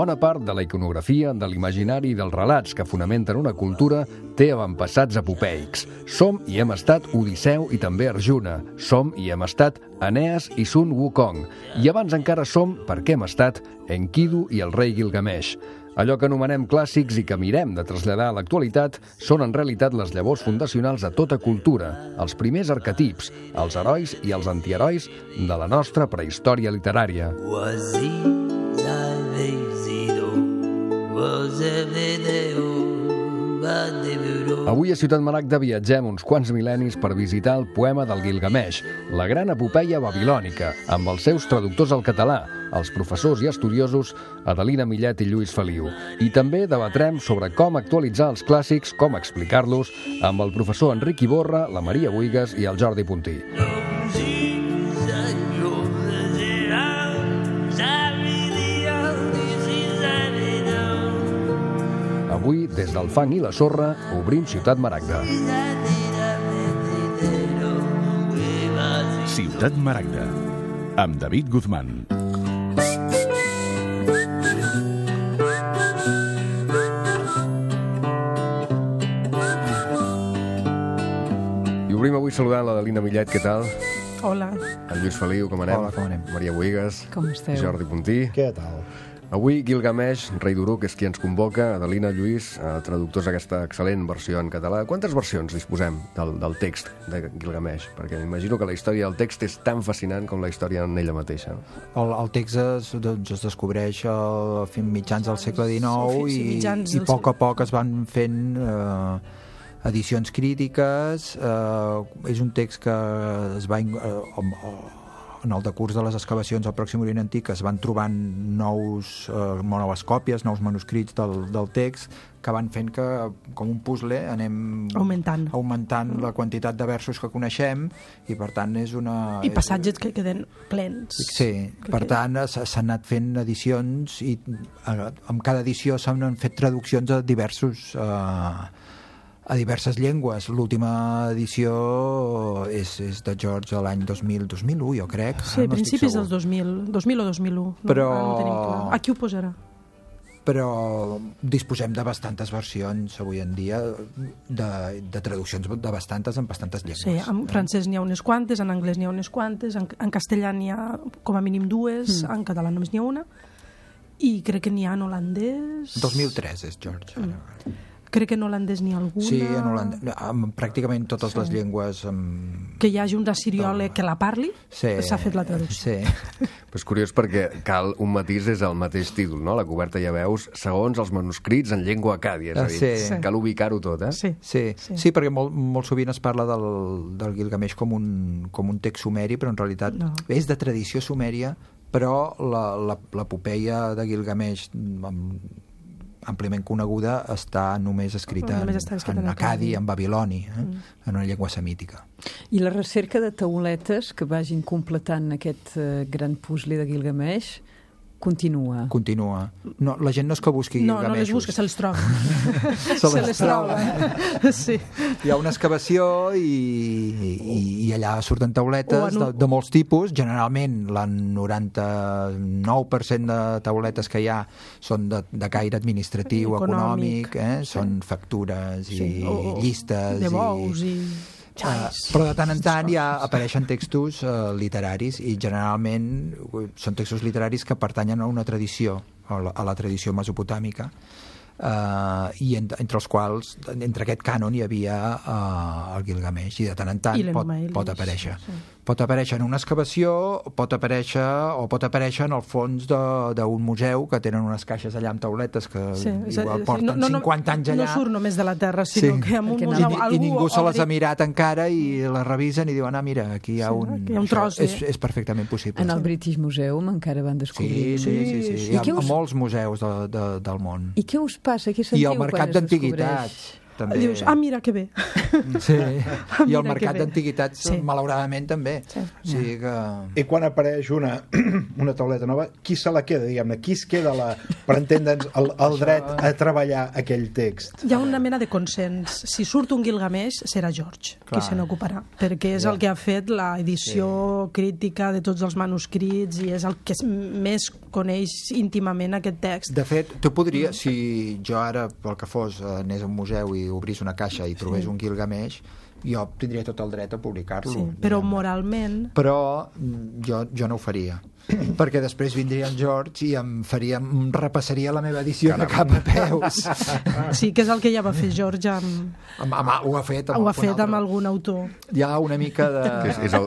Bona part de la iconografia, de l'imaginari i dels relats que fonamenten una cultura té avantpassats apopeics. Som i hem estat Odisseu i també Arjuna. Som i hem estat Eneas i Sun Wukong. I abans encara som, perquè hem estat, Enkidu i el rei Gilgamesh. Allò que anomenem clàssics i que mirem de traslladar a l'actualitat són en realitat les llavors fundacionals de tota cultura, els primers arquetips, els herois i els antiherois de la nostra prehistòria literària. Avui a Ciutat Maragda viatgem uns quants mil·lennis per visitar el poema del Gilgamesh, la gran epopeia babilònica, amb els seus traductors al català, els professors i estudiosos Adelina Millet i Lluís Feliu. I també debatrem sobre com actualitzar els clàssics, com explicar-los, amb el professor Enric Iborra, la Maria Buigas i el Jordi Puntí. Avui, des del fang i la sorra, obrim Ciutat Maragda. Ciutat Maragda, amb David Guzmán. I obrim avui saludant l'Adelina Millet, què tal? Hola. El Lluís Feliu, com anem? Hola, com anem? Maria Buigas. Com esteu? Jordi Puntí. Què tal? Avui Gilgamesh, rei d'Uruk, és qui ens convoca. Adelina, Lluís, traductors d'aquesta excel·lent versió en català. Quantes versions disposem del text de Gilgamesh? Perquè m'imagino que la història del text és tan fascinant com la història en ella mateixa. El text es descobreix a mitjans del segle XIX i a poc es van fent edicions crítiques. És un text que es va... en el decurs de les excavacions al Pròxim Orient Antic es van trobant noves còpies, nous manuscrits del text, que van fent que, com un puzzle, anem augmentant la quantitat de versos que coneixem, i per tant és una... I passatges que queden plens. Sí, per tant s'han anat fent edicions i amb cada edició s'han fet traduccions a diverses llengües. L'última edició és de George de l'any 2001, jo crec. Sí, principis del 2000 o 2001. Però... no tenim clar. Aquí ho posarà. Però disposem de bastantes versions avui en dia, de traduccions de bastantes en bastantes llengües. Sí, en francès n'hi ha unes quantes, en anglès n'hi ha unes quantes, en castellà n'hi ha com a mínim dues, en català només n'hi ha una, i crec que n'hi ha en holandès... 2003 és George. Crec que en holandès n'hi ha alguna... Sí, en holandès, pràcticament totes les llengües... Que hi hagi un rassiriole que la parli, s'ha fet la traducció. Sí. Però és curiós perquè cal un matís des del mateix títol, no? La coberta ja veus, segons els manuscrits en llengua acàdia, és a dir, cal ubicar-ho tot, eh? Sí, perquè molt sovint es parla del Gilgamesh com un text sumeri, però en realitat és de tradició sumèria, però l'epopeia de Gilgamesh àmpliament coneguda està només escrita en acadi, en babiloni, en una llengua semítica. I la recerca de tauletes que vagin completant aquest gran puzzle de Gilgamesh continua. No, la gent no és que busqui Gilgameshos. No les busca, se les troba. se les troba. Sí. Hi ha una excavació i allà surten tauletes de molts tipus. Generalment, el 99% de tauletes que hi ha són de caire administratiu, econòmic, són factures i llistes. De bous i... Però de tant en tant ja apareixen textos literaris, i generalment són textos literaris que pertanyen a una tradició, a la tradició mesopotàmica, i entre els quals, entre aquest cànon hi havia el Gilgamesh, i de tant en tant pot aparèixer. Pot aparèixer en una excavació, pot aparèixer en el fons d'un museu, que tenen unes caixes allà amb tauletes que igual porten 50 anys allà. No surt només de la terra, sinó que amb un museu... I ningú se les ha mirat encara i les revisen i diuen, mira, aquí hi ha un tros. És perfectament possible. En el British Museum encara van descobrir. Sí. Hi ha molts museus del món. I què us passa? Què I sentiu al mercat d'antiguitats. també... Dius, mira que bé. Sí, i el mercat d'antiguitats, malauradament, també. O sigui que... I quan apareix una tauleta nova, qui se la queda, diguem-ne? Qui es queda, per entendre'ns, el dret a treballar aquell text? Hi ha una mena de consens. Si surt un Gilgamesh, serà George qui se n'ocuparà, perquè és el que ha fet l'edició crítica de tots els manuscrits i és el que més coneix íntimament aquest text. De fet, tu podries, si jo ara, pel que fos, anés a un museu i obrís una caixa i trobés un Gilgamesh, jo tindria tot el dret a publicar-lo. Sí, però moralment... Però jo no ho faria. Perquè després vindria en George i em repassaria la meva edició de cap a peus. Sí, que és el que ja va fer George amb... Ho ha fet amb algun autor. Hi ha una mica de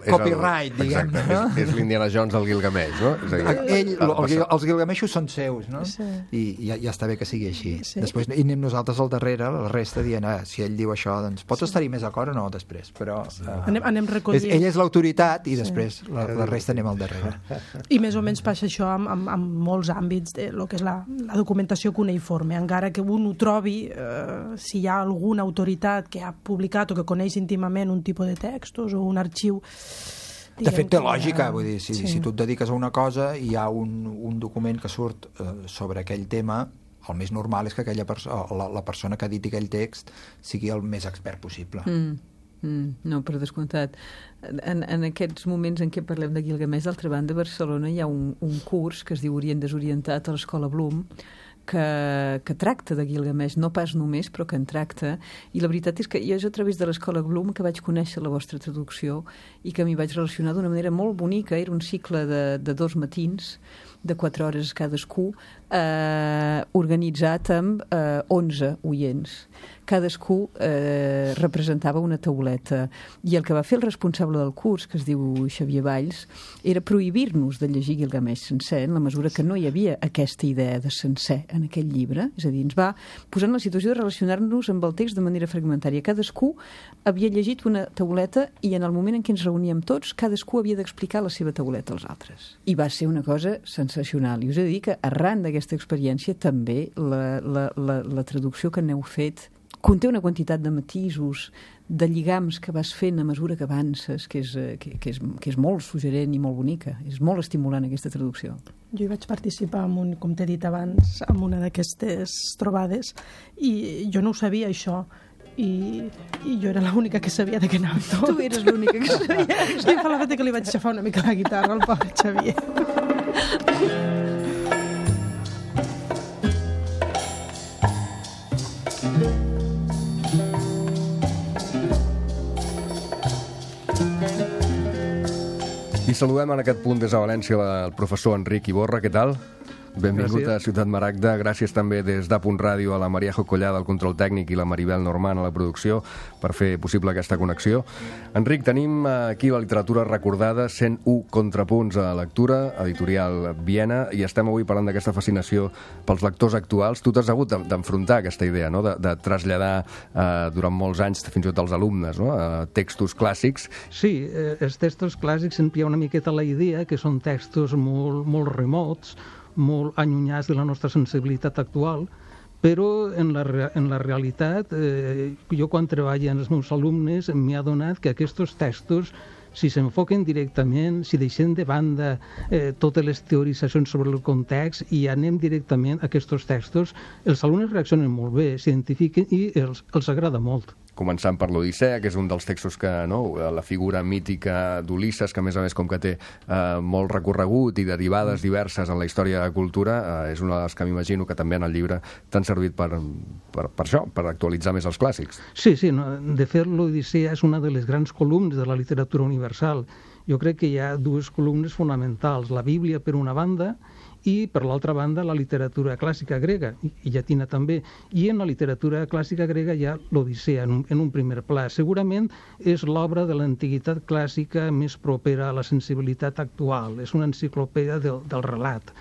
copyright, diguem-ne. És l'Indiana Jones del Gilgamesh, no? Els Gilgameshos són seus, no? I ja està bé que sigui així. Després hi anem nosaltres al darrere, la resta dient, si ell diu això, doncs pots estar-hi més d'acord o no després, però... Anem recollint. Ell és l'autoritat i després la resta anem al darrere. I més o menys passa això amb molts àmbits de lo que és la documentació cuneïforme, encara que un ho trobi, si hi ha alguna autoritat que ha publicat o que coneix íntimament un tipus de textos o un arxiu... De fet, té lògica, vull dir, si tu et dediques a una cosa i hi ha un document que surt sobre aquell tema, el més normal és que la persona que editi aquell text sigui el més expert possible. No, per descomptat. En aquests moments en què parlem de Gilgamesh, d'altra banda, a Barcelona hi ha un curs que es diu Orient Desorientat a l'Escola Bloom, que tracta de Gilgamesh, no pas només, però que en tracta, i la veritat és que jo és a través de l'Escola Bloom que vaig conèixer la vostra traducció i que m'hi vaig relacionar d'una manera molt bonica. Era un cicle de 2 matins, de 4 hores cadascú, organitzat amb 11 oients. Cadascú representava una tauleta, i el que va fer el responsable del curs, que es diu Xavier Valls, era prohibir-nos de llegir Gilgamesh sencer, en la mesura que no hi havia aquesta idea de sencer en aquell llibre. És a dir, ens va posar en la situació de relacionar-nos amb el text de manera fragmentària. Cadascú havia llegit una tauleta i en el moment en què ens reuníem tots, cadascú havia d'explicar la seva tauleta als altres. I va ser una cosa sensacional. I us he de dir que arran d'aquesta experiència també la traducció que n'heu fet conté una quantitat de matisos, de lligams que vas fent a mesura que avances, que és molt suggerent i molt bonica. És molt estimulant aquesta traducció. Jo hi vaig participar, com t'he dit abans, en una d'aquestes trobades, i jo no ho sabia, això. I jo era l'única que sabia de què anava tot. Tu eres l'única que sabia. I fa la feta que li vaig xafar una mica la guitarra al pobre Xavier. I saludem en aquest punt des de València el professor Enric Iborra. Què tal? Benvingut a Ciutat Maragda. Gràcies també des d'Apunt Ràdio a la Maria Jocollada al control tècnic i la Maribel Norman a la producció per fer possible aquesta connexió. Enric, tenim aquí la literatura recordada, 101 contrapunts a lectura, editorial Viena, i estem avui parlant d'aquesta fascinació pels lectors actuals. Tu t'has hagut d'enfrontar aquesta idea, no? de traslladar durant molts anys, fins i tot als alumnes, no? Textos clàssics. Sí, els textos clàssics sempre hi ha una miqueta la idea que són textos molt remots, molt allunyats de la nostra sensibilitat actual, però en la realitat, jo quan treballo amb els meus alumnes m'he adonat que aquests textos, si s'enfoquen directament, si deixem de banda totes les teoritzacions sobre el context i anem directament a aquests textos, els alumnes reaccionen molt bé, s'identifiquen i els agrada molt. Començant per l'Odissea, que és un dels textos que, no, la figura mítica d'Ulisses, que a més com que té molt recorregut i derivades diverses en la història de la cultura, és una de les que m'imagino que també en el llibre t'han servit per això, per actualitzar més els clàssics. Sí, de fet l'Odissea és una de les grans columnes de la literatura universal. Jo crec que hi ha 2 columnes fonamentals, la Bíblia per una banda i, per l'altra banda, la literatura clàssica grega, i llatina també. I en la literatura clàssica grega hi ha l'Odissea, en un primer pla. Segurament és l'obra de l'antiguitat clàssica més propera a la sensibilitat actual. És una enciclopèdia del relat.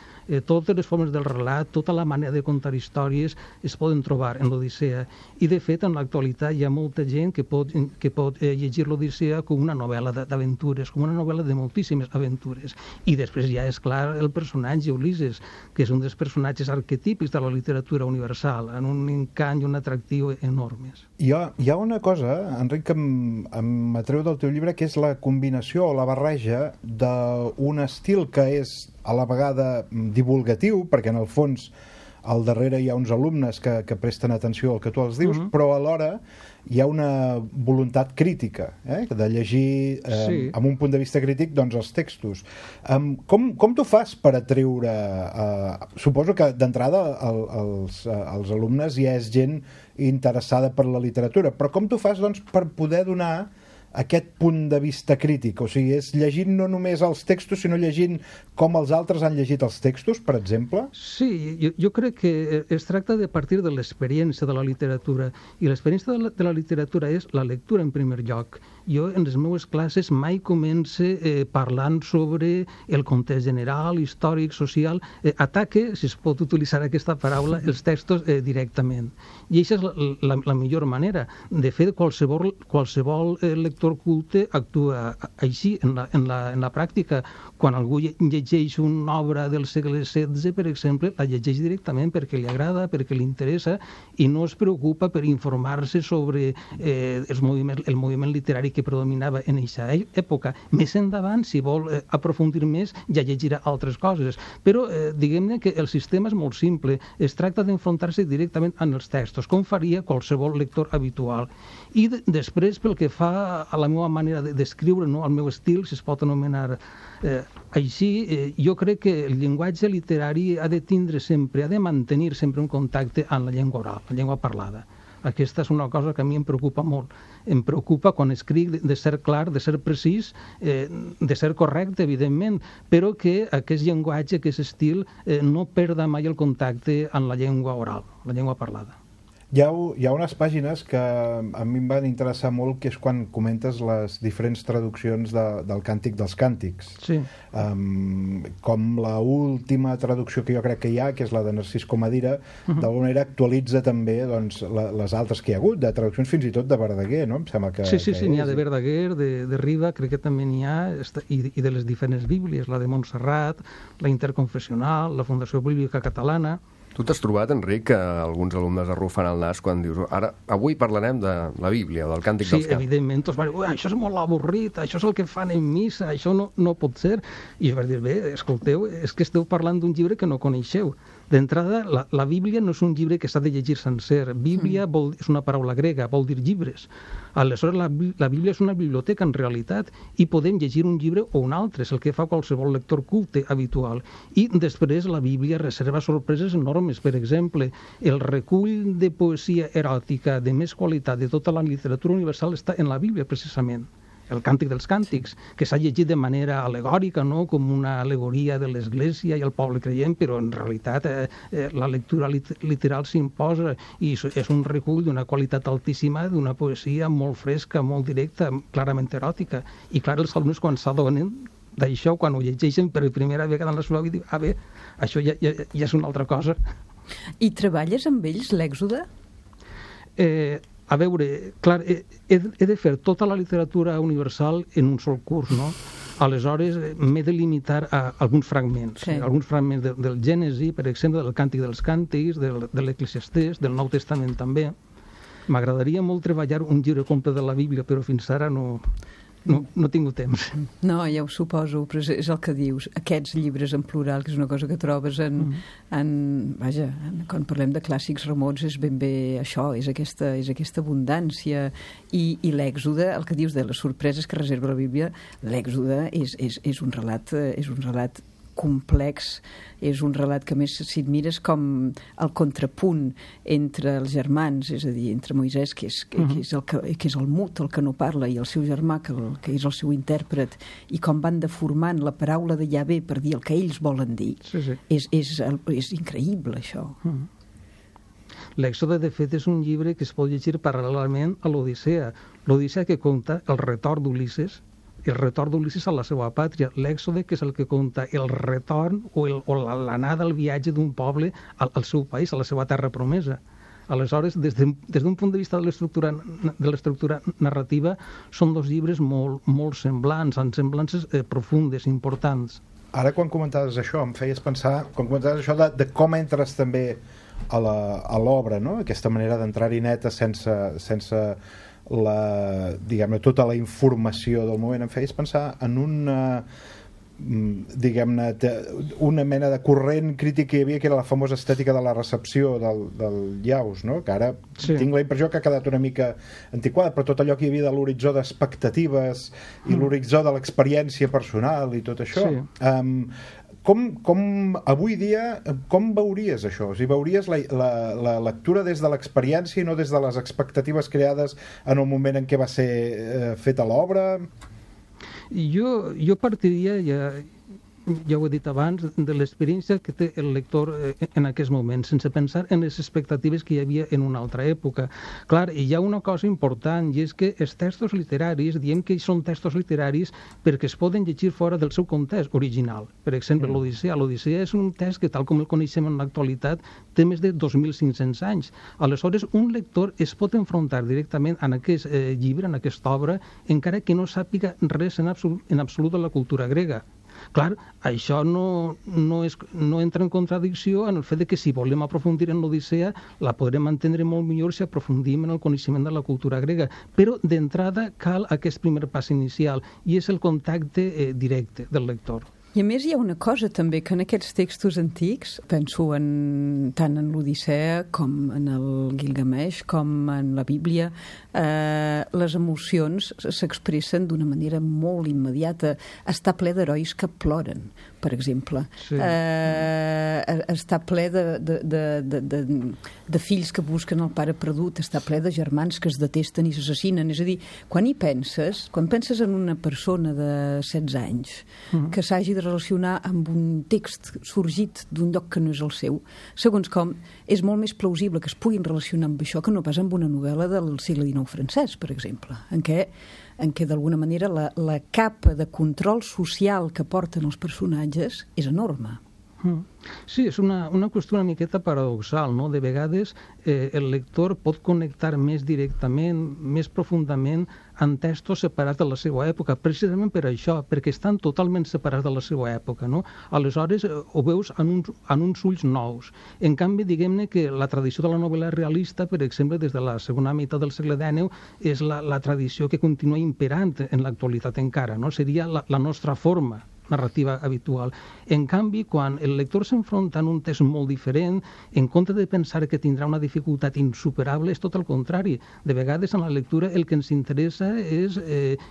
totes les formes del relat, tota la manera de contar històries es poden trobar en l'Odissea. I, de fet, en l'actualitat hi ha molta gent que pot llegir l'Odissea com una novel·la d'aventures, com una novel·la de moltíssimes aventures. I després ja és clar el personatge Ulisses, que és un dels personatges arquetípics de la literatura universal, en un encant i un atractiu enormes. Hi ha una cosa, Enric, que m'atreu del teu llibre, que és la combinació o la barreja d'un estil que és a la vegada divulgatiu, perquè en el fons al darrere hi ha uns alumnes que presten atenció al que tu els dius, però alhora hi ha una voluntat crítica, de llegir amb un punt de vista crític doncs, els textos. Com tu fas per atreure... Suposo que d'entrada els alumnes ja és gent interessada per la literatura, però com tu fas doncs, per poder donar aquest punt de vista crític? O sigui, és llegint no només els textos, sinó llegint com els altres han llegit els textos, per exemple? Sí, jo crec que es tracta de partir de l'experiència de la literatura, i l'experiència de la literatura és la lectura en primer lloc. Jo en les meves classes mai comence parlant sobre el context general, històric, social, ataque, si es pot utilitzar aquesta paraula, els textos directament. I això és la millor manera. De fet, qualsevol lector culte actua així en la pràctica. Quan algú llegeix una obra del segle XVI, per exemple, la llegeix directament perquè li agrada, perquè li interessa, i no es preocupa per informar-se sobre el moviment literari que predominava en aquesta època. Més endavant, si vol aprofundir més, ja llegirà altres coses. Però diguem-ne que el sistema és molt simple. Es tracta d'enfrontar-se directament amb els textos, com faria qualsevol lector habitual. I després, pel que fa a la meva manera d'escriure, al meu estil, si es pot anomenar així, jo crec que el llenguatge literari ha de tindre sempre, ha de mantenir sempre un contacte amb la llengua oral, la llengua parlada. Aquesta és una cosa que a mi em preocupa molt. Em preocupa quan escric de ser clar, de ser precís, de ser correcte, evidentment, però que aquest llenguatge, aquest estil, no perda mai el contacte amb la llengua oral, la llengua parlada. Hi ha unes pàgines que a mi em van interessar molt, que és quan comentes les diferents traduccions del Càntic dels Càntics. Sí. Com la última traducció que jo crec que hi ha, que és la de Narcís Comadira, d'alguna manera actualitza també doncs, les altres que hi ha hagut, de traduccions fins i tot de Verdaguer, no? Em sembla que... Sí, n'hi ha de Verdaguer, de Riba, crec que també n'hi ha, i de les diferents bíblies, la de Montserrat, la Interconfessional, la Fundació Bíblica Catalana... Tu t'has trobat, Enric, que alguns alumnes arrufant el nas quan dius avui parlarem de la Bíblia, del Càntic dels Càntics? Sí, evidentment, tots van dir, això és molt avorrit, això és el que fan en missa, això no pot ser. I jo vaig dir, bé, escolteu, és que esteu parlant d'un llibre que no coneixeu. D'entrada, la Bíblia no és un llibre que s'ha de llegir sencer. Bíblia és una paraula grega, vol dir llibres. Aleshores, la Bíblia és una biblioteca, en realitat, i podem llegir un llibre o un altre, és el que fa qualsevol lector culte habitual. I després la Bíblia reserva sorpreses enormes. Per exemple, el recull de poesia eròtica de més qualitat de tota la literatura universal està en la Bíblia, precisament. El Càntic dels Càntics, que s'ha llegit de manera alegòrica, no? Com una al·legoria de l'Església i el poble creient, però en realitat la lectura literal s'imposa i és un recull d'una qualitat altíssima, d'una poesia molt fresca, molt directa, clarament eròtica. I clar, els alumnes quan s'adonen d'això, quan ho llegeixen per primera vegada en la seva vida, bé, això ja és una altra cosa. I treballes amb ells l'Èxode? A veure, clar, he de fer tota la literatura universal en un sol curs, no? Aleshores, m'he de limitar a alguns fragments. Sí. Alguns fragments del Gènesi, per exemple, del Càntic dels Càntics, de l'Eclesiastès, del Nou Testament també. M'agradaria molt treballar un llibre complet de la Bíblia, però fins ara no he tingut temps. No, ja ho suposo, però és el que dius. Aquests llibres en plural, que és una cosa que trobes quan parlem de clàssics remots, és ben bé això, és aquesta abundància. I l'Èxode, el que dius de les sorpreses que reserva la Bíblia, l'Èxode és un relat complex, és un relat que més si et mires com el contrapunt entre els germans, és a dir, entre Moisès, que és el mut, el que no parla, i el seu germà, que és el seu intèrpret, i com van deformant la paraula de Yahvé per dir el que ells volen dir. Sí. És increïble, això. L'Èxode, de fet, és un llibre que es pot llegir paral·lelament a l'Odissea. L'Odissea que conta el retorn d'Ulisses el retorn d'Ulisses a la seva pàtria, l'èxode, que és el que conta el retorn o l'anada al viatge d'un poble al seu país, a la seva terra promesa. Aleshores, des d'un punt de vista de l'estructura narrativa, són dos llibres molt semblants, amb semblances profundes, importants. Ara, quan comentaves això, em feies pensar, quan comentaves això de com entres també a l'obra, no? Aquesta manera d'entrar-hi neta sense diguem-ne, tota la informació del moment, em feies pensar en diguem-ne, una mena de corrent crític que hi havia, que era la famosa estètica de la recepció del Llaus, no? Que ara tinc la impressió que ha quedat una mica antiquada, però tot allò que hi havia de l'horitzó d'expectatives i l'horitzó de l'experiència personal i tot això. Com avui dia, com veuries això? O sigui, veuries la lectura des de l'experiència i no des de les expectatives creades en el moment en què va ser feta l'obra? Jo partiria, ja ho he dit abans, de l'experiència que té el lector en aquest moment, sense pensar en les expectatives que hi havia en una altra època. Clar, hi ha una cosa important, i és que els textos literaris, diem que són textos literaris perquè es poden llegir fora del seu context original. Per exemple, l'Odissea. L'Odissea és un text que, tal com el coneixem en l'actualitat, té més de 2.500 anys. Aleshores, un lector es pot enfrontar directament en aquest llibre, en aquesta obra, encara que no sàpiga res en absolut de la cultura grega. Clar, això no entra en contradicció en el fet que si volem aprofundir en l'Odissea la podrem entendre molt millor si aprofundim en el coneixement de la cultura grega, però d'entrada cal aquest primer pas inicial i és el contacte directe del lector. I a més hi ha una cosa també, que en aquests textos antics, penso tant en l'Odissea com en el Gilgamesh, com en la Bíblia, les emocions s'expressen d'una manera molt immediata. Està ple d'herois que ploren, per exemple. Sí. Està ple de fills que busquen el pare perdut, està ple de germans que es detesten i s'assassinen. És a dir, quan penses en una persona de 16 anys que s'hagi de relacionar amb un text sorgit d'un lloc que no és el seu, segons com, és molt més plausible que es puguin relacionar amb això que no pas amb una novel·la del segle XIX francès, per exemple, en què d'alguna manera la capa de control social que porten els personatges és enorme. Sí, és una qüestió una miqueta paradoxal, no? De vegades el lector pot connectar més directament, més profundament en textos separats de la seva època, precisament per això, perquè estan totalment separats de la seva època, no? Aleshores ho veus en uns ulls nous. En canvi, diguem-ne que la tradició de la novel·la realista, per exemple, des de la segona meitat del segle XIX, és la tradició que continua imperant en l'actualitat encara, no? Seria la nostra forma narrativa habitual. En canvi, quan el lector s'enfronta en un text molt diferent, en compte de pensar que tindrà una dificultat insuperable, és tot el contrari. De vegades, en la lectura, el que ens interessa és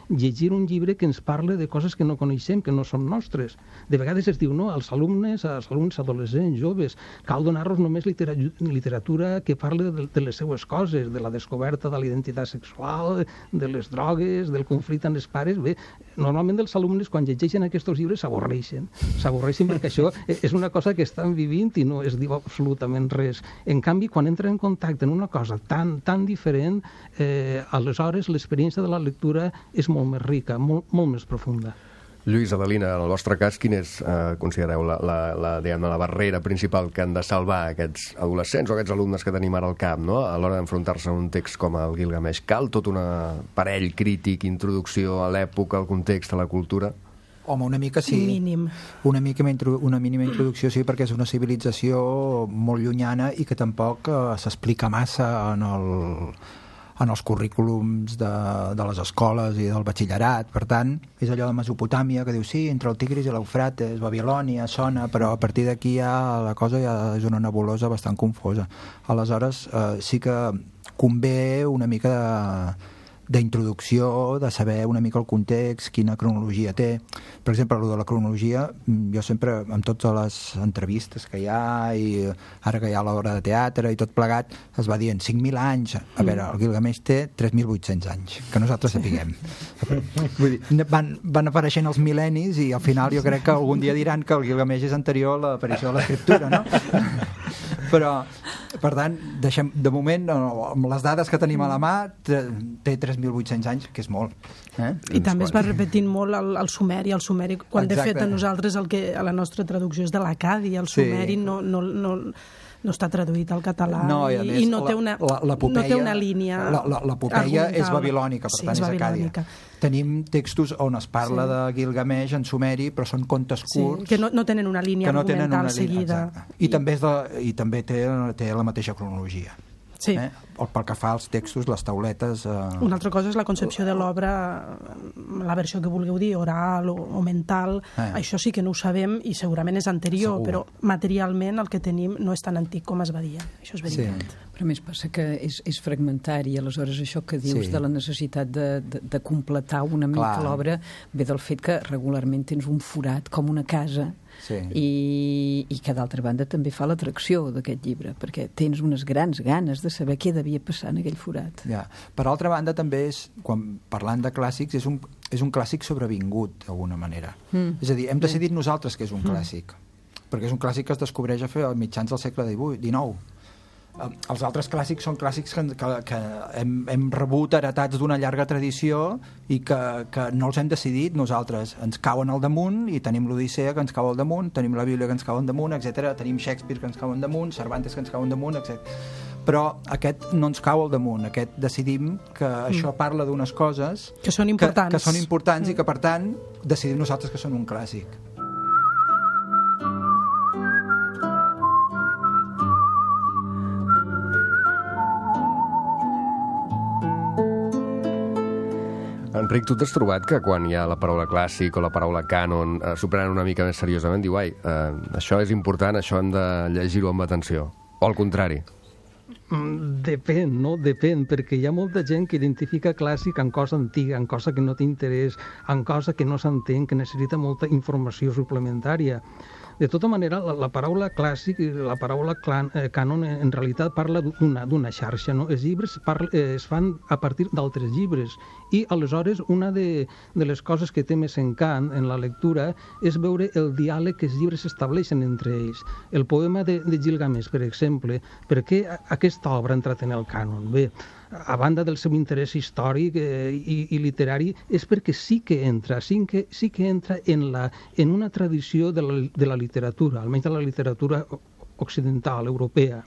llegir un llibre que ens parla de coses que no coneixem, que no són nostres. De vegades es diu, no, als alumnes adolescents, joves, cal donar-los només literatura que parla de les seues coses, de la descoberta de la identitat sexual, de les drogues, del conflicte amb els pares. Bé, normalment els alumnes, quan llegeixen aquests llibres, s'avorreixen perquè això és una cosa que estan vivint i no es diu absolutament res. En canvi, quan entren en contacte en una cosa tan diferent, aleshores l'experiència de la lectura és molt més rica, molt més profunda. Lluís, Adelina, en el vostre cas, quin és, considereu, la barrera principal que han de salvar aquests adolescents o aquests alumnes que tenim ara al cap, no? A l'hora d'enfrontar-se a un text com el Gilgamesh? Cal tot un aparell crític, introducció a l'època, al context, a la cultura? Home, una mica sí. Mínim. Una mínima introducció sí, perquè és una civilització molt llunyana i que tampoc s'explica massa en els currículums de les escoles i del batxillerat. Per tant, és allò de Mesopotàmia que diu, sí, entre el Tigris i l'Eufrates, Babilònia, sona, però a partir d'aquí la cosa ja és una nebulosa bastant confosa. Aleshores, sí que convé una mica d'introducció, de saber una mica el context, quina cronologia té. Per exemple, el de la cronologia, jo sempre, amb totes les entrevistes que hi ha, i ara que hi ha l'obra de teatre i tot plegat, es va dient 5.000 anys. A veure, el Gilgamesh té 3.800 anys, que nosaltres sapiguem. Vull dir, van apareixent els mil·lennis i al final jo crec que algun dia diran que el Gilgamesh és anterior a l'aparició de l'escriptura, no? Però, per tant, de moment, amb les dades que tenim a la mà, té 3.800 anys, que és molt. I també es va repetint molt el sumeri. El sumeri, quan de fet a nosaltres a la nostra traducció és de l'acadi, el sumeri no està traduït al català i no té una línia. L'epopeia és babilònica, per tant és acàdia. Tenim textos on es parla de Gilgamesh en sumeri, però són contes curts. Que no tenen una línia argumental seguida. I també té la mateixa cronologia. Sí. Pel que fa als textos, les tauletes... Una altra cosa és la concepció de l'obra, la versió que vulgueu dir, oral o mental. Això sí que no ho sabem i segurament és anterior, però materialment el que tenim no és tan antic com es va dir. Això és veritat. Però a més passa que és fragmentari, aleshores això que dius de la necessitat de completar una mica l'obra ve del fet que regularment tens un forat com una casa i que d'altra banda també fa l'atracció d'aquest llibre, perquè tens unes grans ganes de saber què devia passar en aquell forat. Per altra banda també quan parlant de clàssics, és un clàssic sobrevingut d'alguna manera. És a dir, hem decidit nosaltres que és un clàssic, perquè és un clàssic que es descobreix a mitjans del segle XIX. Els altres clàssics són clàssics que hem rebut heretats d'una llarga tradició i que no els hem decidit nosaltres. Ens cauen al damunt i tenim l'Odissea que ens cau al damunt, tenim la Bíblia que ens cau al damunt, etc. Tenim Shakespeare que ens cau al damunt, Cervantes que ens cau al damunt, etc. Però aquest no ens cau al damunt. Aquest decidim que això parla d'unes coses que són importants, que són importants i que, per tant, decidim nosaltres que són un clàssic. Enric, tu t'has trobat que quan hi ha la paraula clàssic o la paraula cànon s'ho prenen una mica més seriosament? Diu, això és important, això hem de llegir-ho amb atenció. O al contrari? Depèn, no? Depèn, perquè hi ha molta gent que identifica clàssic en cosa antiga, en cosa que no té interès, en cosa que no s'entén, que necessita molta informació suplementària. De tota manera, la paraula clàssic i la paraula cànon en realitat parla d'una xarxa, no? Els llibres es fan a partir d'altres llibres i aleshores una de les coses que té més encant en la lectura és veure el diàleg que els llibres estableixen entre ells. El poema de Gilgamesh, per exemple, per què aquesta obra ha entrat en el cànon? Bé, a banda del seu interès històric i literari, és perquè sí que entra en una tradició de la literatura, almenys de la literatura occidental, europea.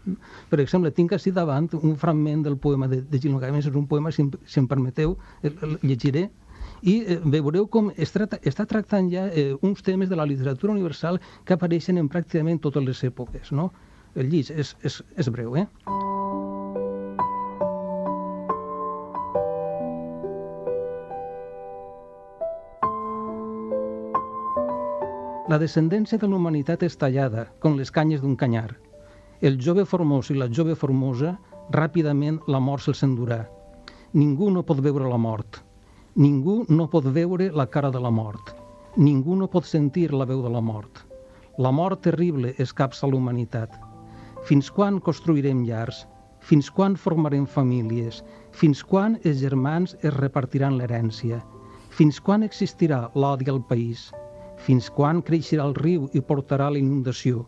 Per exemple, tinc així davant un fragment del poema de Gilgamesh, és un poema, si em permeteu, el llegiré, i veureu com està tractant ja uns temes de la literatura universal que apareixen en pràcticament totes les èpoques, no? El llig és breu, La descendència de la humanitat és tallada, com les canyes d'un canyar. El jove formós i la jove formosa, ràpidament la mort se'ls endurà. Ningú no pot veure la mort. Ningú no pot veure la cara de la mort. Ningú no pot sentir la veu de la mort. La mort terrible escapça la humanitat. Fins quan construirem llars? Fins quan formarem famílies? Fins quan els germans es repartiran l'herència? Fins quan existirà l'odi al país? Fins quan creixerà el riu i portarà la inundació?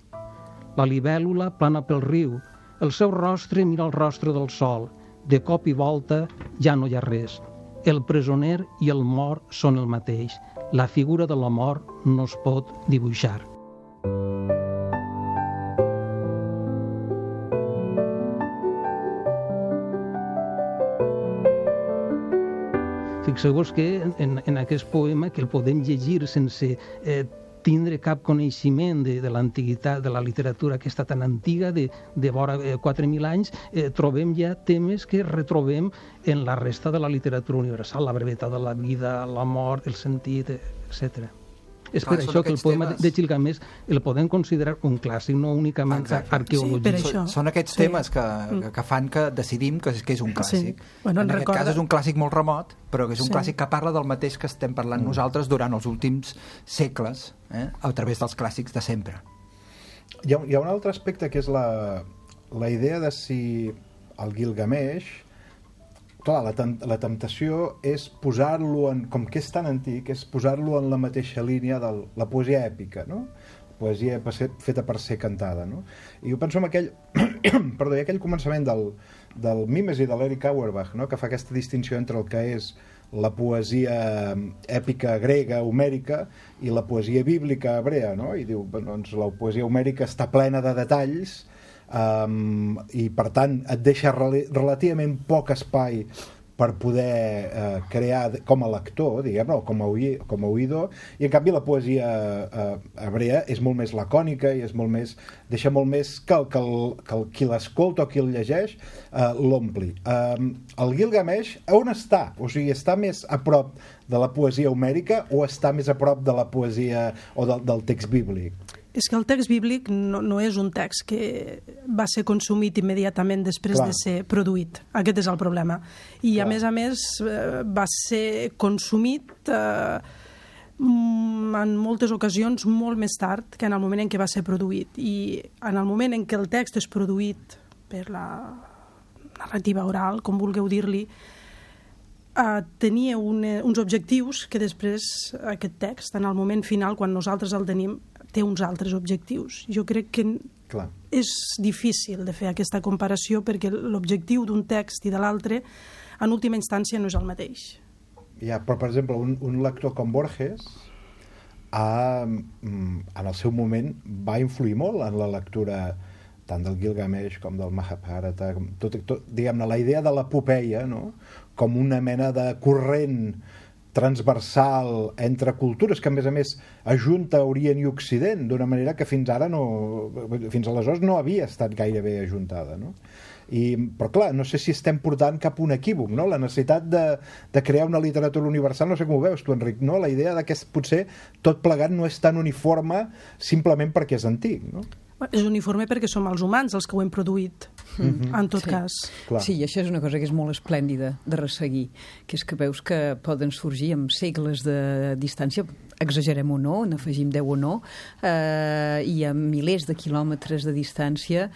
La libèl·lula plana pel riu, el seu rostre mira el rostre del sol, de cop i volta ja no hi ha res. El presoner i el mort són el mateix. La figura de la mort no es pot dibuixar. Fixeu-vos que en aquest poema, que el podem llegir sense tindre cap coneixement de l'antiguitat, de la literatura aquesta tan antiga, de vora 4.000 anys, trobem ja temes que retrobem en la resta de la literatura universal, la brevetat de la vida, la mort, el sentit, etc. És per això que el poema de Gilgamesh el podem considerar un clàssic, no únicament arqueològic. Sí, són aquests temes que fan que decidim que és un clàssic. Sí. Bueno, en aquest cas és un clàssic molt remot, però que és un clàssic que parla del mateix que estem parlant nosaltres durant els últims segles, a través dels clàssics de sempre. Hi ha un altre aspecte que és la idea de si el Gilgamesh... Clar, la temptació és posar-lo en... Com que és tan antic, és posar-lo en la mateixa línia de la poesia èpica, no? poesia feta per ser cantada, no? I jo penso en aquell aquell començament del Mimes i de l'Eric Auerbach, no? Que fa aquesta distinció entre el que és la poesia èpica grega, homèrica, i la poesia bíblica hebrea, no? I diu, doncs la poesia homèrica està plena de detalls i per tant et deixa relativament poc espai per poder crear com a lector, diguem-ne, o com a oïdor, i en canvi la poesia hebrea és molt més lacònica i és molt més, deixa molt més que qui l'escolta o qui el llegeix l'ompli. El Gilgamesh on està? O sigui, està més a prop de la poesia homèrica o està més a prop de la poesia o del text bíblic? És que el text bíblic no és un text que va ser consumit immediatament després de ser produït. Aquest és el problema. I a més va ser consumit en moltes ocasions molt més tard que en el moment en què va ser produït. I en el moment en què el text és produït per la narrativa oral, com vulgueu dir-li, tenia uns objectius que després aquest text, en el moment final, quan nosaltres el tenim, té uns altres objectius. Jo crec que és difícil de fer aquesta comparació perquè l'objectiu d'un text i de l'altre en última instància no és el mateix. Ja, però per exemple un lector com Borges en el seu moment va influir molt en la lectura tant del Gilgamesh com del Mahabharata, diguem-ne, la idea de l'epopeia, no? Com una mena de corrent transversal entre cultures que a més ajunta Orient i Occident d'una manera que fins aleshores no havia estat gairebé ajuntada, no? Però clar, no sé si estem portant cap un equívoc, no? La necessitat de crear una literatura universal, no sé com ho veus tu, Enric, no? La idea que potser tot plegat no és tan uniforme simplement perquè és antic, no? És uniforme perquè som els humans els que ho hem produït, en tot cas. Clar. Sí, i això és una cosa que és molt esplèndida de resseguir, que és que veus que poden sorgir amb segles de distància, exagerem o no, n'afegim 10 o no, i a milers de quilòmetres de distància,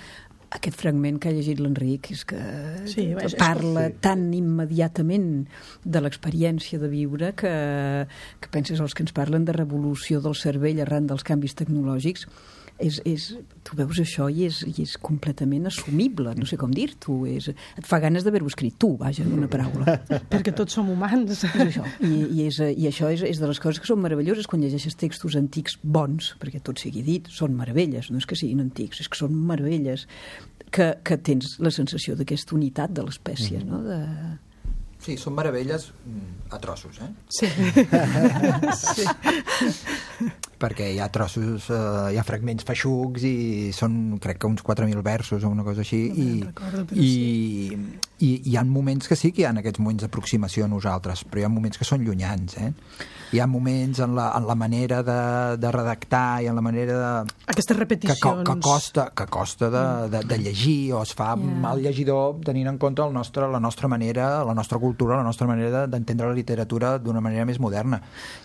aquest fragment que ha llegit l'Enric és que parla tan immediatament de l'experiència de viure que penses els que ens parlen de revolució del cervell arran dels canvis tecnològics. Tu veus això i és completament assumible, no sé com dir-t'ho, et fa ganes d'haver-ho escrit tu, vaja, en una paraula. Perquè tots som humans. És això. I això és de les coses que són meravelloses quan llegeixes textos antics bons, perquè tot sigui dit, són meravelles, no és que siguin antics, és que són meravelles, que tens la sensació d'aquesta unitat de l'espècie, no? Sí, són meravelles a trossos, eh? Sí. Perquè hi ha trossos, hi ha fragments feixucs i són, crec que uns 4.000 versos o una cosa així, i hi ha moments que sí que hi ha aquests moments d'aproximació a nosaltres, però hi ha moments que són llunyans, eh? Hi ha moments en la manera de redactar i en la manera de... Aquestes repeticions. Que costa de llegir, o es fa mal llegidor tenint en compte la nostra manera, la nostra cultura, la nostra manera d'entendre la literatura d'una manera més moderna.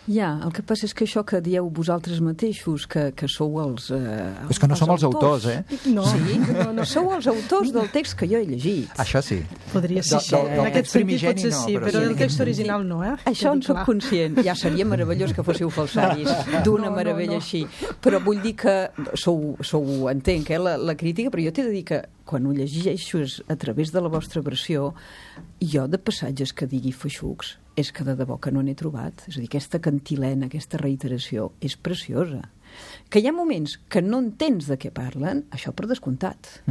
El que passa és que això que dieu vosaltres mateixos, que sou els és que no som els autors, eh? No. Sí, no sou els autors del text que jo he llegit. Això sí. Podria ser així. En aquest sentit potser sí, però del text original no, eh? Això en soc conscient. Ja seria meravellós que fóssiu falsaris d'una meravella així. Però vull dir que entenc la crítica, però jo t'he de dir que quan ho llegeixes a través de la vostra versió, jo de passatges que digui feixucs és que de debò que no n'he trobat. És a dir, aquesta cantilena, aquesta reiteració és preciosa. Que hi ha moments que no entens de què parlen, això per descomptat.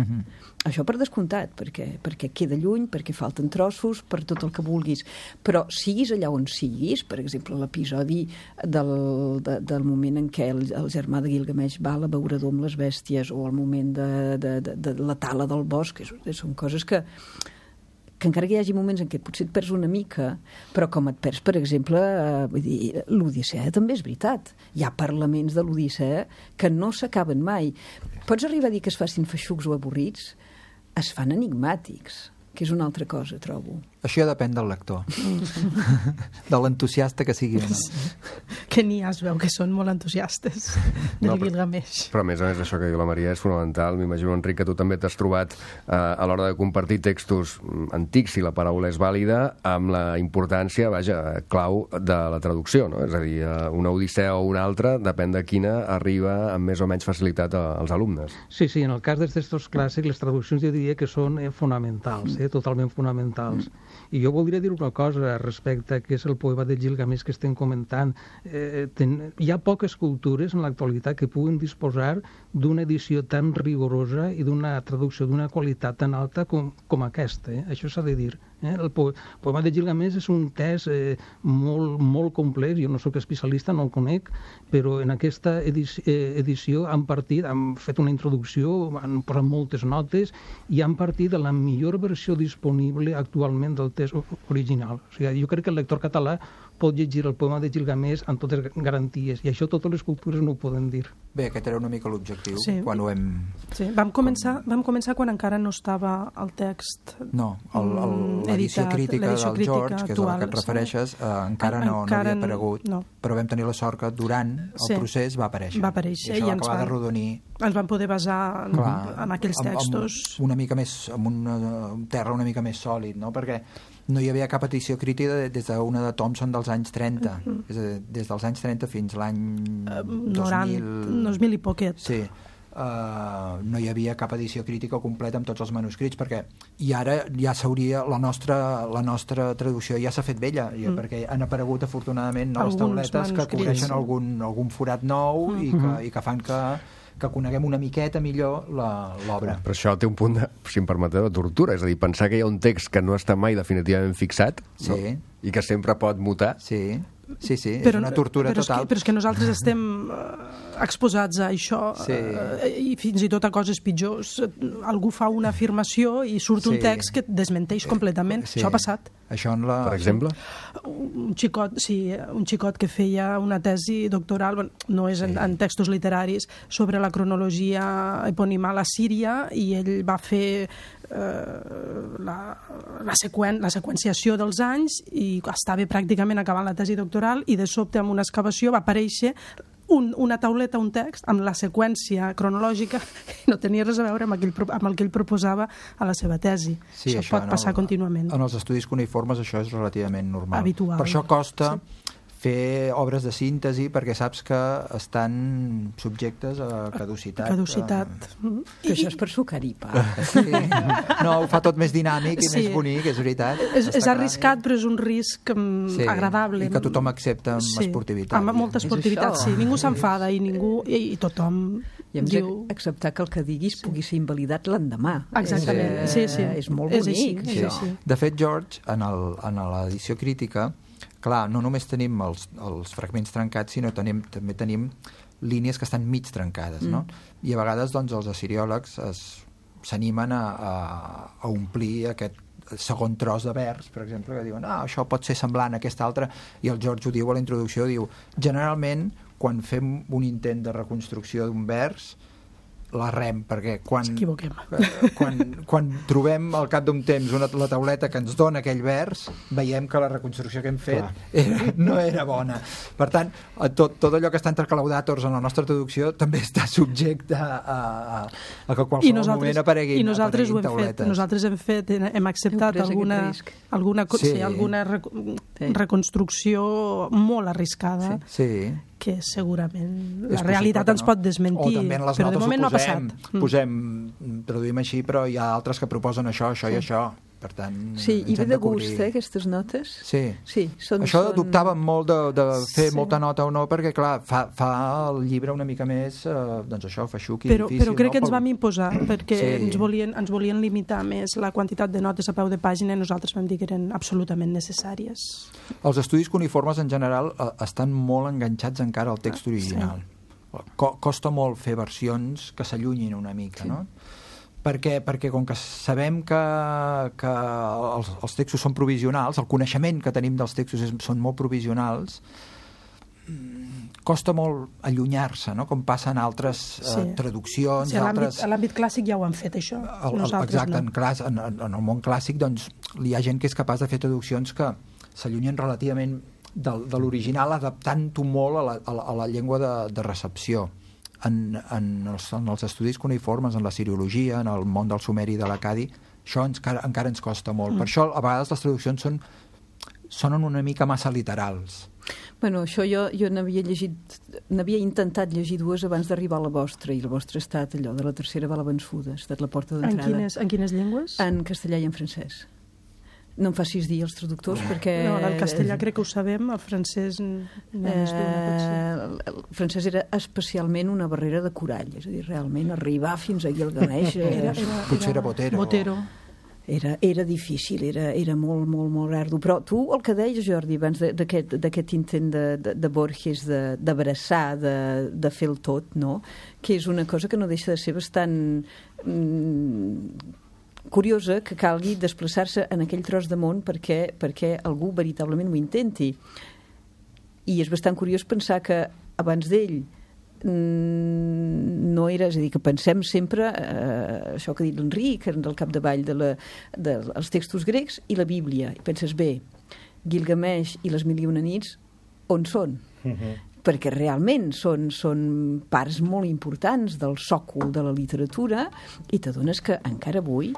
Això per descomptat, perquè queda lluny, perquè falten trossos, per tot el que vulguis. Però siguis allà on siguis, per exemple, l'episodi del moment en què el germà de Gilgamesh va a l'abeurador amb les bèsties, o el moment de la tala del bosc, són coses que encara que hi hagi moments en què potser et perds una mica, però com et perds, per exemple, l'Odissea també és veritat. Hi ha parlaments de l'Odissea que no s'acaben mai. Pots arribar a dir que es facin feixucs o avorrits? Es fan enigmàtics. que és una altra cosa, trobo. Això ja depèn del lector. De l'entusiasta que sigui o no. Que n'hi ha, es veu que són molt entusiastes del Gilgamesh. Però a més això que diu la Maria és fonamental. M'imagino, Enric, que tu també t'has trobat a l'hora de compartir textos antics, si la paraula és vàlida, amb la importància, clau de la traducció, no? És a dir, una odissea o una altra, depèn de quina, arriba amb més o menys facilitat als alumnes. Sí, en el cas dels textos clàssics, les traduccions jo diria que són fonamentals, totalment fonamentals. I jo voldria dir una cosa respecte a què és el poema de Gilgamesh que estem comentant. Hi ha poques cultures en l'actualitat que puguen disposar d'una edició tan rigorosa i d'una traducció d'una qualitat tan alta com aquesta. Això s'ha de dir. El poema de Gilgamesh és un text molt complex, jo no sóc especialista, no el conec, però en aquesta edició han fet una introducció, han posat moltes notes i han partit de la millor versió disponible actualment del text original. O sigui, jo crec que el lector català pot llegir el poema de Gilgamesh amb totes garanties, i això totes les cultures no ho poden dir. Bé, aquest era una mica l'objectiu, quan ho hem... Sí, vam començar quan encara no estava el text... No, l'edició crítica del George, que és a la que et refereixes, encara no havia aparegut, però vam tenir la sort que durant el procés va aparèixer. Va aparèixer, i això va acabar de rodonir. Ens vam poder basar en aquells textos. Amb un terra una mica més sòlid, no? Perquè no hi havia cap edició crítica des d'una de Thompson dels anys 30, és a dir, des dels anys 30 fins l'any 2000 i poquet. Sí, no hi havia cap edició crítica completa amb tots els manuscrits, perquè i ara ja s'hauria, la nostra traducció ja s'ha fet vella, perquè han aparegut afortunadament noves tauletes que cobreixen algun forat nou i que fan que coneguem una miqueta millor l'obra. Però això té un punt de, si em permeteu, de tortura, és a dir, pensar que hi ha un text que no està mai definitivament fixat, no? I que sempre pot mutar. Sí, és una tortura total. Però és que nosaltres estem exposats a això, i fins i tot a coses pitjors. Algú fa una afirmació i surt un text que desmenteix completament. Això ha passat. Per exemple? Un xicot que feia una tesi doctoral, no és en textos literaris, sobre la cronologia eponimal a Síria, i ell va fer la seqüenciació dels anys i estava pràcticament acabant la tesi doctoral, i de sobte amb una excavació va aparèixer una tauleta, un text, amb la seqüència cronològica que no tenia res a veure amb el que ell proposava a la seva tesi. Això pot passar contínuament. En els estudis cuneïformes això és relativament normal. Habitual. Per això costa fer obres de síntesi, perquè saps que estan subjectes a caducitat. Que això és per sucar-hi pa. No, ho fa tot més dinàmic i més bonic, és veritat. És arriscat, però és un risc agradable. I que tothom accepta amb esportivitat. Amb molta esportivitat, sí. Ningú s'enfada i tothom diu... acceptar que el que diguis pugui ser invalidat l'endemà. Exactament, sí. És molt bonic. De fet, George, en l'edició crítica, clar, no només tenim els fragments trencats, sinó també tenim línies que estan mig trencades, no? I a vegades els assiriòlegs s'animen a omplir aquest segon tros de vers, per exemple, que diuen això pot ser semblant a aquest altre, i el George ho diu a la introducció, diu, generalment quan fem un intent de reconstrucció d'un vers la rem, perquè quan trobem al cap d'un temps la tauleta que ens dona aquell vers, veiem que la reconstrucció que hem fet no era bona. Per tant, tot allò que està entre claudàtors en la nostra traducció també està subjecte a que qualsevol moment apareguin tauletes. Nosaltres hem acceptat alguna reconstrucció molt arriscada, que segurament la realitat ens pot desmentir, però de moment no ha passat. Traduïm així, però hi ha altres que proposen això i això. Per tant, i ve de gust, aquestes notes? Sí. Això dubtàvem molt de fer molta nota o no, perquè, clar, fa el llibre una mica més, feixuc i difícil. Però crec que ens vam imposar, perquè ens volien limitar més la quantitat de notes a peu de pàgina, i nosaltres vam dir que eren absolutament necessàries. Els estudis cuneïformes, en general, estan molt enganxats encara al text original. Costa molt fer versions que s'allunyin una mica, no? Perquè com que sabem que els textos són provisionals, el coneixement que tenim dels textos són molt provisionals, costa molt allunyar-se, no? Com passa en altres traduccions. Sí, a l'àmbit clàssic ja ho han fet, això. Exacte, en el món clàssic doncs, hi ha gent que és capaç de fer traduccions que s'allunyen relativament de l'original, adaptant-ho molt a la llengua de recepció. En els estudis cuneïformes, en la siriologia, en el món del sumeri i de l'acadi, això encara ens costa molt. Per això, a vegades, les traduccions sonen una mica massa literals. Bueno, això jo n'havia intentat llegir dues abans d'arribar a la vostra, i la vostra ha estat allò de la tercera va la vençuda, ha estat la porta d'entrada. En quines llengües? En castellà i en francès. No em facis dir els traductors, perquè... No, el castellà crec que ho sabem, el francès... El francès era especialment una barrera de corall, és a dir, realment arribar fins a Gilgamesh... Potser era Botero. Era difícil, era molt, molt, molt ardu. Però tu, el que deies, Jordi, abans d'aquest intent de Borges d'abraçar, de fer el tot, no? Que és una cosa que no deixa de ser bastant... curiosa, que calgui desplaçar-se en aquell tros de món perquè algú veritablement ho intenti. I és bastant curiós pensar que abans d'ell no era, és a dir, que pensem sempre això que ha dit l'Enric, del capdavall dels textos grecs i la Bíblia. I penses, bé, Gilgamesh i les Mil i una nits, on són? Perquè realment són parts molt importants del sòcol de la literatura, i t'adones que encara avui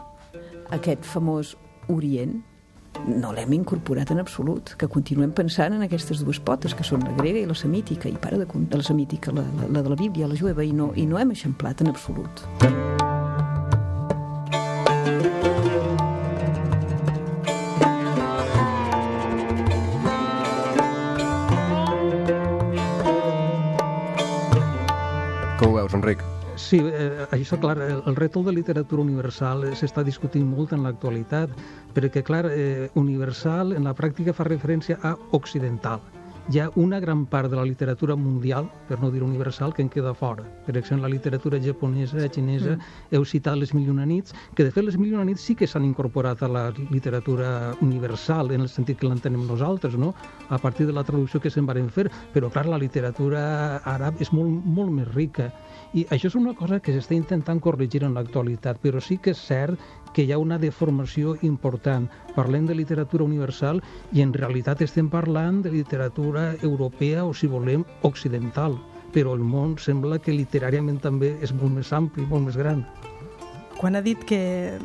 aquest famós Orient no l'hem incorporat en absolut, que continuem pensant en aquestes dues potes, que són la grega i la semítica, i para de la semítica, la de la Bíblia, la jueva, i no hem eixamplat en absolut. Com ho veus, Enric? Sí, això, clar, el rètol de literatura universal s'està discutint molt en l'actualitat, perquè, clar, universal en la pràctica fa referència a occidental. Hi ha una gran part de la literatura mundial, per no dir universal, que en queda fora. Per exemple, la literatura japonesa, xinesa, heu citat les Mil i una nits, que de fet les Mil i una nits sí que s'han incorporat a la literatura universal, en el sentit que l'entenem nosaltres, no? A partir de la traducció que se'n varen fer, però clar, la literatura àrab és molt, molt més rica. I això és una cosa que s'està intentant corregir en l'actualitat, però sí que és cert que hi ha una deformació important. Parlem de literatura universal i en realitat estem parlant de literatura europea o, si volem, occidental. Però el món sembla que literàriament també és molt més ampli, molt més gran. Quan ha dit que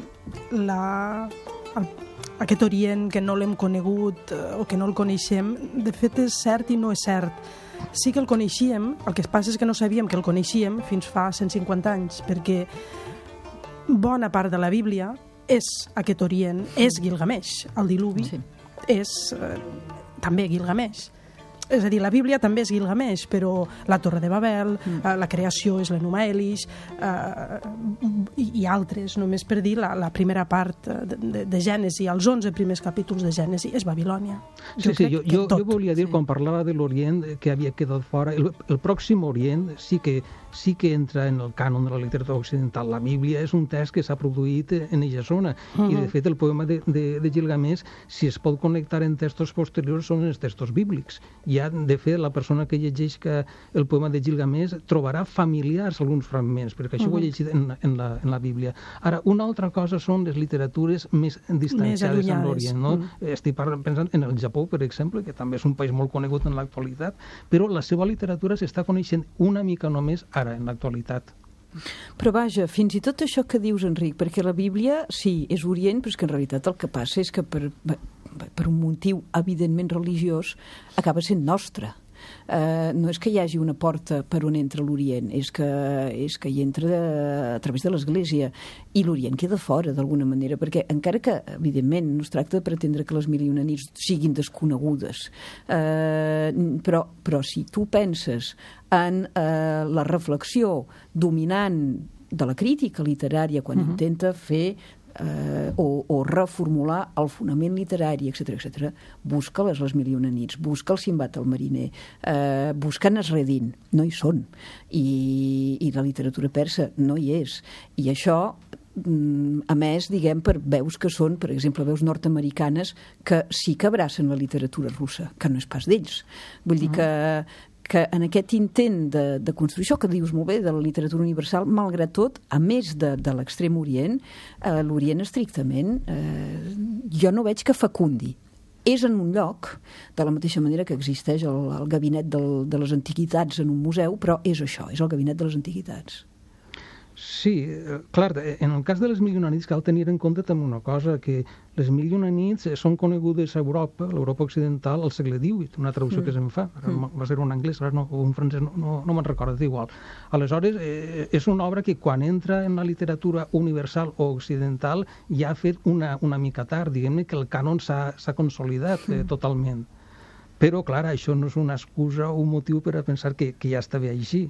aquest Orient que no l'hem conegut o que no el coneixem, de fet és cert i no és cert. Sí que el coneixíem, el que passa és que no sabíem que el coneixíem fins fa 150 anys, perquè bona part de la Bíblia és aquest Orient, és Gilgamesh. El diluvi és també Gilgamesh. És a dir, la Bíblia també és Gilgamesh, però la Torre de Babel, la creació és l'Enuma Elish, i altres, només per dir la primera part de Gènesi, els 11 primers capítols de Gènesi, és Babilònia. Jo volia dir, quan parlava de l'Orient, que havia quedat fora, el Pròxim Orient sí que entra en el cànon de la literatura occidental. La Bíblia és un text que s'ha produït en aquesta zona, i de fet el poema de Gilgamesh, si es pot connectar en textos posteriors, són els textos bíblics. De fet, la persona que llegeix el poema de Gilgamesh trobarà familiars alguns fragments, perquè això ho he llegit en la Bíblia. Ara, una altra cosa són les literatures més distanciades en l'Orient, no? Estic pensant en el Japó, per exemple, que també és un país molt conegut en l'actualitat, però la seva literatura s'està coneixent una mica només ara, en l'actualitat. Però vaja, fins i tot això que dius, Enric, perquè la Bíblia, sí, és Orient, però és que en realitat el que passa és que per un motiu evidentment religiós acaba sent nostra. No és que hi hagi una porta per on entra l'Orient, és que hi entra a través de l'Església, i l'Orient queda fora d'alguna manera, perquè encara que evidentment no es tracta de pretendre que les Mil i una nits siguin desconegudes, però si tu penses en la reflexió dominant de la crítica literària quan intenta fer o reformular el fonament literari, etc., busca les Mil i una nits, busca el Sinbad el mariner, busca Nasreddin, no hi són, i la literatura persa no hi és, i això a més, diguem, per veus que són, per exemple, veus nord-americanes que sí que abracen la literatura russa, que no és pas d'ells. Vull dir que que en aquest intent de construir això que dius molt bé, de la literatura universal, malgrat tot, a més de l'extrem orient, l'orient estrictament, jo no veig que fecundi. És en un lloc, de la mateixa manera que existeix el gabinet de les antiguitats en un museu, però és això, és el gabinet de les antiguitats. Sí, clar, en el cas de les Mil i una nits cal tenir en compte també una cosa, que les Mil i una nits són conegudes a Europa, l'Europa occidental, al segle XVIII, una traducció que se'n fa, va ser un anglès, o un francès, no me'n recordo, és igual. Aleshores, és una obra que quan entra en la literatura universal o occidental ja ha fet una mica tard, diguem-ne que el cànon s'ha consolidat totalment. Però, clar, això no és una excusa o un motiu per a pensar que ja està bé així.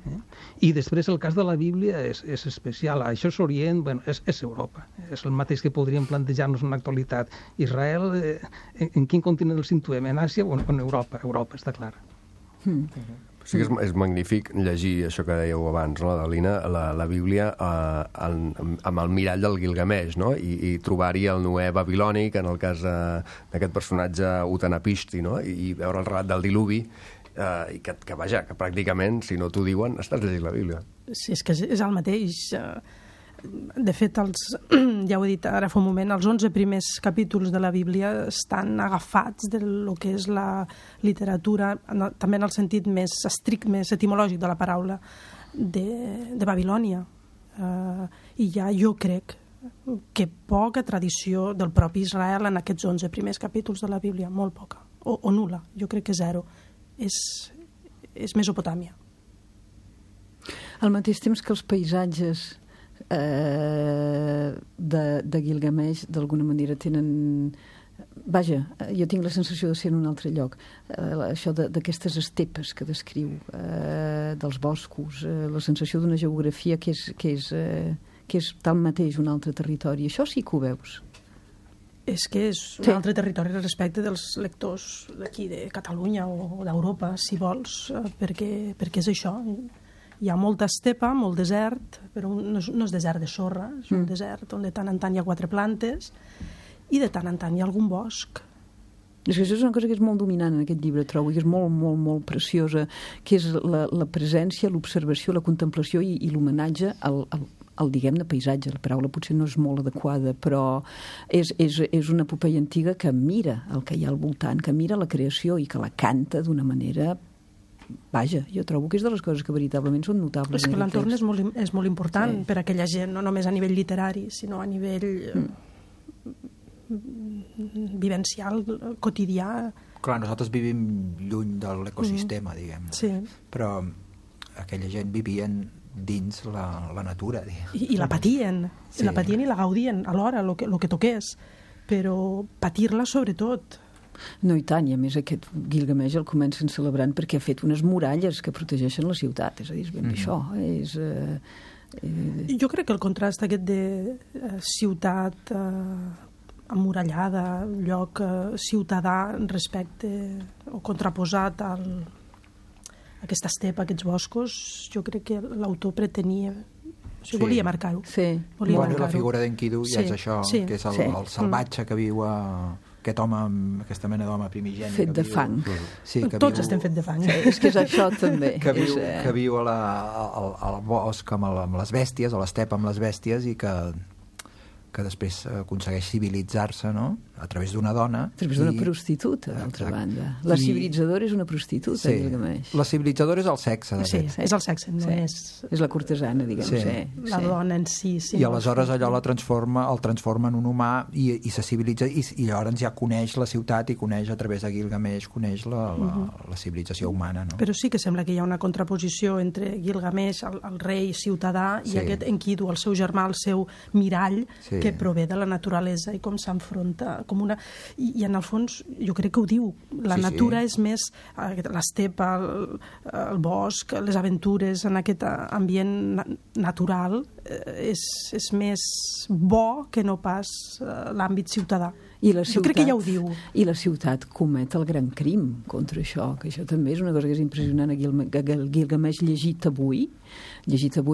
I després el cas de la Bíblia és especial. Això és Orient, bueno, és Europa. És el mateix que podríem plantejar-nos en l'actualitat. Israel, en quin continent el situem? En Àsia o en Europa? Europa, està clar. Sí que és magnífic llegir això que dèieu abans, no, Adelina, la Bíblia amb el mirall del Gilgamesh, no? I trobar-hi el Noè babilònic, en el cas d'aquest personatge Utanapishti, no? I veure el relat del diluvi, i que vaja, que pràcticament, si no t'ho diuen, estàs llegint la Bíblia. Sí, és que és el mateix. De fet, ja ho he dit ara fa un moment, els 11 primers capítols de la Bíblia estan agafats del que és la literatura, també en el sentit més estrict, més etimològic de la paraula, de Babilònia. I ja jo crec que poca tradició del propi Israel en aquests 11 primers capítols de la Bíblia, molt poca, o nul·la, jo crec que zero. És Mesopotàmia. Al mateix temps que els paisatges de Gilgamesh d'alguna manera tenen... Vaja, jo tinc la sensació de ser en un altre lloc. Això d'aquestes estepes que descriu, dels boscos, la sensació d'una geografia que és tanmateix un altre territori. Això sí que ho veus. És que és un altre territori respecte dels lectors d'aquí, de Catalunya o d'Europa, si vols, perquè és això. Hi ha molta estepa, molt desert, però no és desert de sorra, és un desert on de tant en tant hi ha 4 plantes i de tant en tant hi ha algun bosc. És que això és una cosa que és molt dominant en aquest llibre, trobo, que és molt, molt, molt preciosa, que és la presència, l'observació, la contemplació i l'homenatge al diguem-ne, paisatge. La paraula potser no és molt adequada, però és una epopeia antiga que mira el que hi ha al voltant, que mira la creació i que la canta d'una manera... Vaja, jo trobo que és de les coses que veritablement són notables. És que l'entorn és molt important per a aquella gent, no només a nivell literari, sinó a nivell vivencial, quotidià. Clar, nosaltres vivim lluny de l'ecosistema, diguem. Sí. Però aquella gent vivien dins la natura, diguem. I la patien, i la gaudien alhora, el que toqués, però patir-la sobretot. No, i tant, i a més aquest Gilgamesh el comencen celebrant perquè ha fet unes muralles que protegeixen la ciutat, és a dir, és ben bé això. Jo crec que el contrast aquest de ciutat emmurallada, lloc ciutadà respecte o contraposat a aquesta estepa, aquests boscos, jo crec que l'autor pretenia... volia marcar-ho. Sí. La figura d'Enkidu ja és això, que és el salvatge que viu aquest home, aquesta mena d'home primigeni. Fet de fang. Sí, tots estem fet de fang. És que és això també. Que viu al bosc amb les bèsties, a l'estepa amb les bèsties, i que després aconsegueix civilitzar-se, no?, a través d'una dona. A través d'una prostituta, d'altra banda. La civilitzadora és una prostituta, Gilgamesh. La civilitzadora és el sexe, de fet. Sí, és el sexe, no és... És la cortesana, diguem. La dona en si. I aleshores allò el transforma en un humà i se civilitza, i llavors ja coneix la ciutat i coneix a través de Gilgamesh, coneix la civilització humana, no? Però sí que sembla que hi ha una contraposició entre Gilgamesh, el rei ciutadà, i aquest Enkidu, el seu germà, el seu mirall, que prové de la naturalesa i com s'enfronta com una... I en el fons jo crec que ho diu, la natura és més l'estepa, el bosc, les aventures en aquest ambient natural és més bo que no pas l'àmbit ciutadà. I la ciutat, jo crec que ja ho diu. I la ciutat comet el gran crim contra això, que això també és una cosa que és impressionant. El Gilgamesh llegit avui,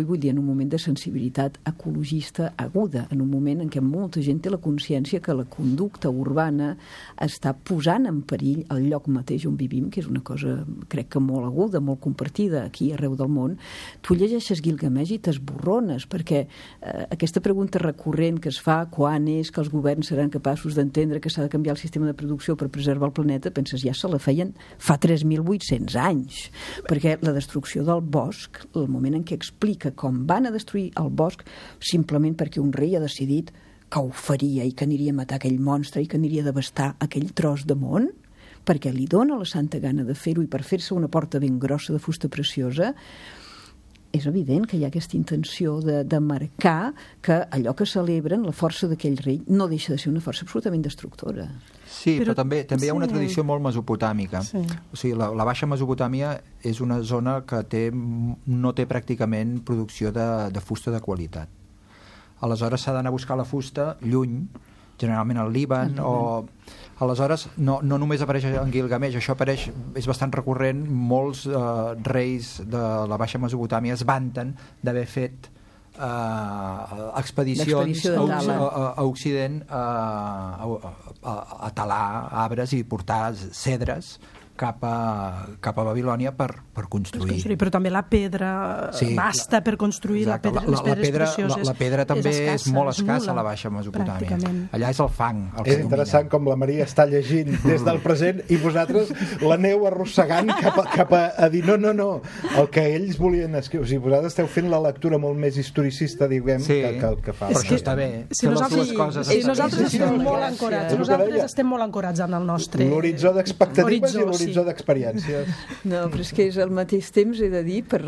vull dir, en un moment de sensibilitat ecologista aguda, en un moment en què molta gent té la consciència que la conducta urbana està posant en perill el lloc mateix on vivim, que és una cosa, crec que molt aguda, molt compartida aquí arreu del món. Tu llegeixes Gilgamesh i t'esborrones, perquè aquesta pregunta recurrent que es fa quan és que els governs seran capaços d'entendre que s'ha de canviar el sistema de producció per preservar el planeta, penses, ja se la feien fa 3.800 anys, perquè la destrucció del bosc, el moment en què explica com van a destruir el bosc simplement perquè un rei ha decidit que ho faria i que aniria a matar aquell monstre i que aniria a devastar aquell tros de món, perquè li dona la santa gana de fer-ho i per fer-se una porta ben grossa de fusta preciosa, és evident que hi ha aquesta intenció de marcar que allò que celebren, la força d'aquell rei, no deixa de ser una força absolutament destructora. Sí, però també hi ha una tradició molt mesopotàmica. Sí. O sigui, la Baixa Mesopotàmia és una zona que no té pràcticament producció de fusta de qualitat. Aleshores s'ha d'anar a buscar la fusta lluny, generalment al Líban, o... Aleshores, no només apareix en Gilgamesh, això apareix, és bastant recurrent, molts reis de la Baixa Mesopotàmia es vanten d'haver fet expedicions a Occident a talar arbres i portar cedres cap a Babilònia per construir. Però també la pedra basta per construir les pedres precioses. La pedra també és molt escassa a la Baixa Mesopotàmia. Allà és el fang. És interessant com la Maria està llegint des del present i vosaltres l'aneu arrossegant cap a dir no, el que ells volien escriure. O sigui, vosaltres esteu fent la lectura molt més historicista, diguem, que fa. Però això està bé. Nosaltres estem molt ancorats. Nosaltres estem molt ancorats en el nostre l'horitzó d'expectatives i l'horitzó d'experiències. No, però és que és al mateix temps, he de dir, per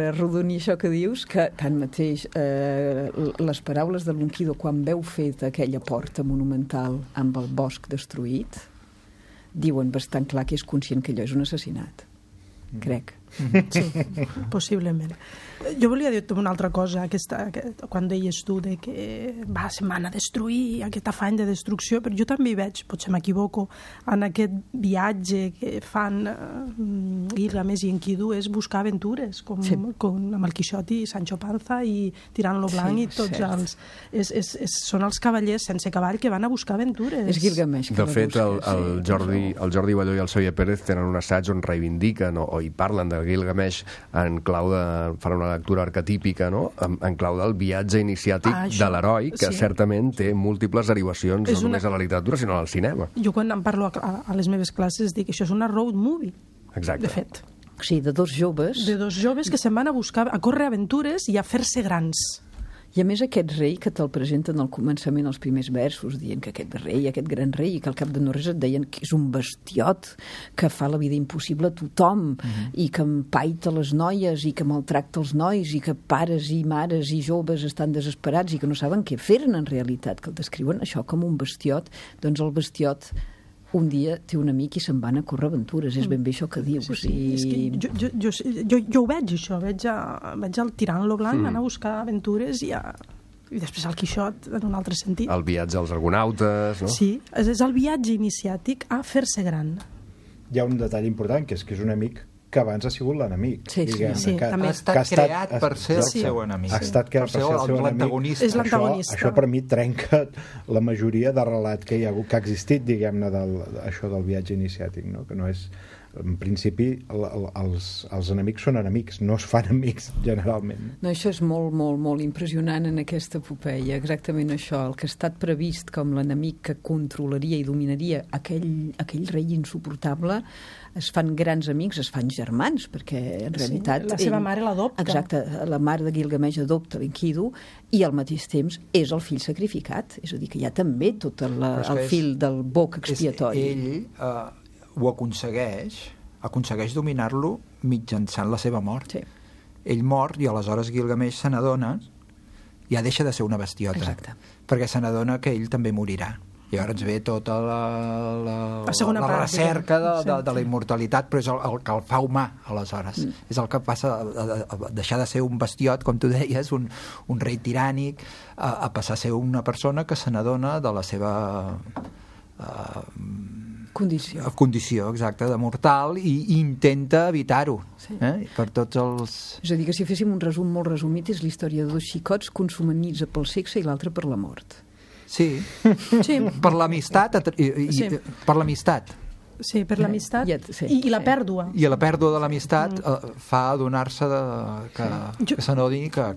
arrodonir això que dius, que tanmateix les paraules de l'Unquido quan veu fet aquella porta monumental amb el bosc destruït diuen bastant clar que és conscient que allò és un assassinat. Crec. Sí, possiblement. Jo volia dir una altra cosa, quan deies tu de que se'n van a destruir, aquest afany de destrucció, però jo també hi veig, potser m'equivoco, en aquest viatge que fan Gilgamesh i Enkidu, és buscar aventures, com amb el Quixot i Sancho Panza i Tirant-lo Blanc i tots els... Són els cavallers sense cavall que van a buscar aventures. És Gilgamesh que de fet, el Jordi Balló i el Xavier Pérez tenen un assaig on reivindiquen o hi parlen de Gilgamesh en clau de... fan una lectura arquetípica, no? En clau del viatge iniciàtic de l'heroi, que certament té múltiples derivacions no només a la literatura, sinó al cinema. Jo quan en parlo a les meves classes dic que això és una road movie, de fet. Sí, de dos joves. De dos joves que se'n van a buscar, a córrer aventures i a fer-se grans. I a més aquest rei que te'l presenten al començament els primers versos, dient que aquest rei, aquest gran rei, i que al cap de no res et deien que és un bestiot, que fa la vida impossible a tothom, i que empaita les noies, i que maltracta els nois, i que pares i mares i joves estan desesperats i que no saben què fer-ne en realitat, que el descriuen això com un bestiot. Doncs el bestiot un dia té un amic i se'n van a córrer aventures, és ben bé això que dius. Jo ho veig, això, veig el Tirant-lo Blanc anar a buscar aventures i després el Quixot en un altre sentit. El viatge als argonautes, no? Sí, és el viatge iniciàtic a fer-se gran. Hi ha un detall important, que és un amic que abans ha sigut l'enemic. Sí, també. Ha estat creat per ser el seu enemic. Ha estat creat per ser el seu enemic. És l'antagonista. Això per mi trenca la majoria de relat que hi ha existit, diguem-ne, això del viatge iniciàtic, no? Que no és... En principi, els enemics són enemics, no es fan amics, generalment. No, això és molt, molt, molt impressionant en aquesta epopeia, exactament això. El que ha estat previst com l'enemic que controlaria i dominaria aquell rei insuportable, es fan grans amics, es fan germans, perquè en realitat... La seva mare l'adopta. Exacte, la mare de Gilgamesh adopta l'Enkidu i al mateix temps és el fill sacrificat, és a dir, que hi ha també tot el fil del boc expiatori. Ell ho aconsegueix dominar-lo mitjançant la seva mort. Sí. Ell mor i aleshores Gilgamesh se n'adona, ja deixa de ser una bestiota. Exacte. Perquè se n'adona que ell també morirà. I llavors ve tota la recerca de la immortalitat, però és el que el fa humà, aleshores. És el que passa a deixar de ser un bestiot, com tu deies, un rei tirànic, a passar a ser una persona que se n'adona de la seva condició, exacte, de mortal, i intenta evitar-ho, per tots els... És a dir, que si féssim un resum molt resumit, és la història de 2 xicots consumits pel sexe i l'altre per la mort. Sí. Per l'amistat, per l'amistat. Sí, per l'amistat i la pèrdua. I la pèrdua de l'amistat fa adonar-se que s'adoni que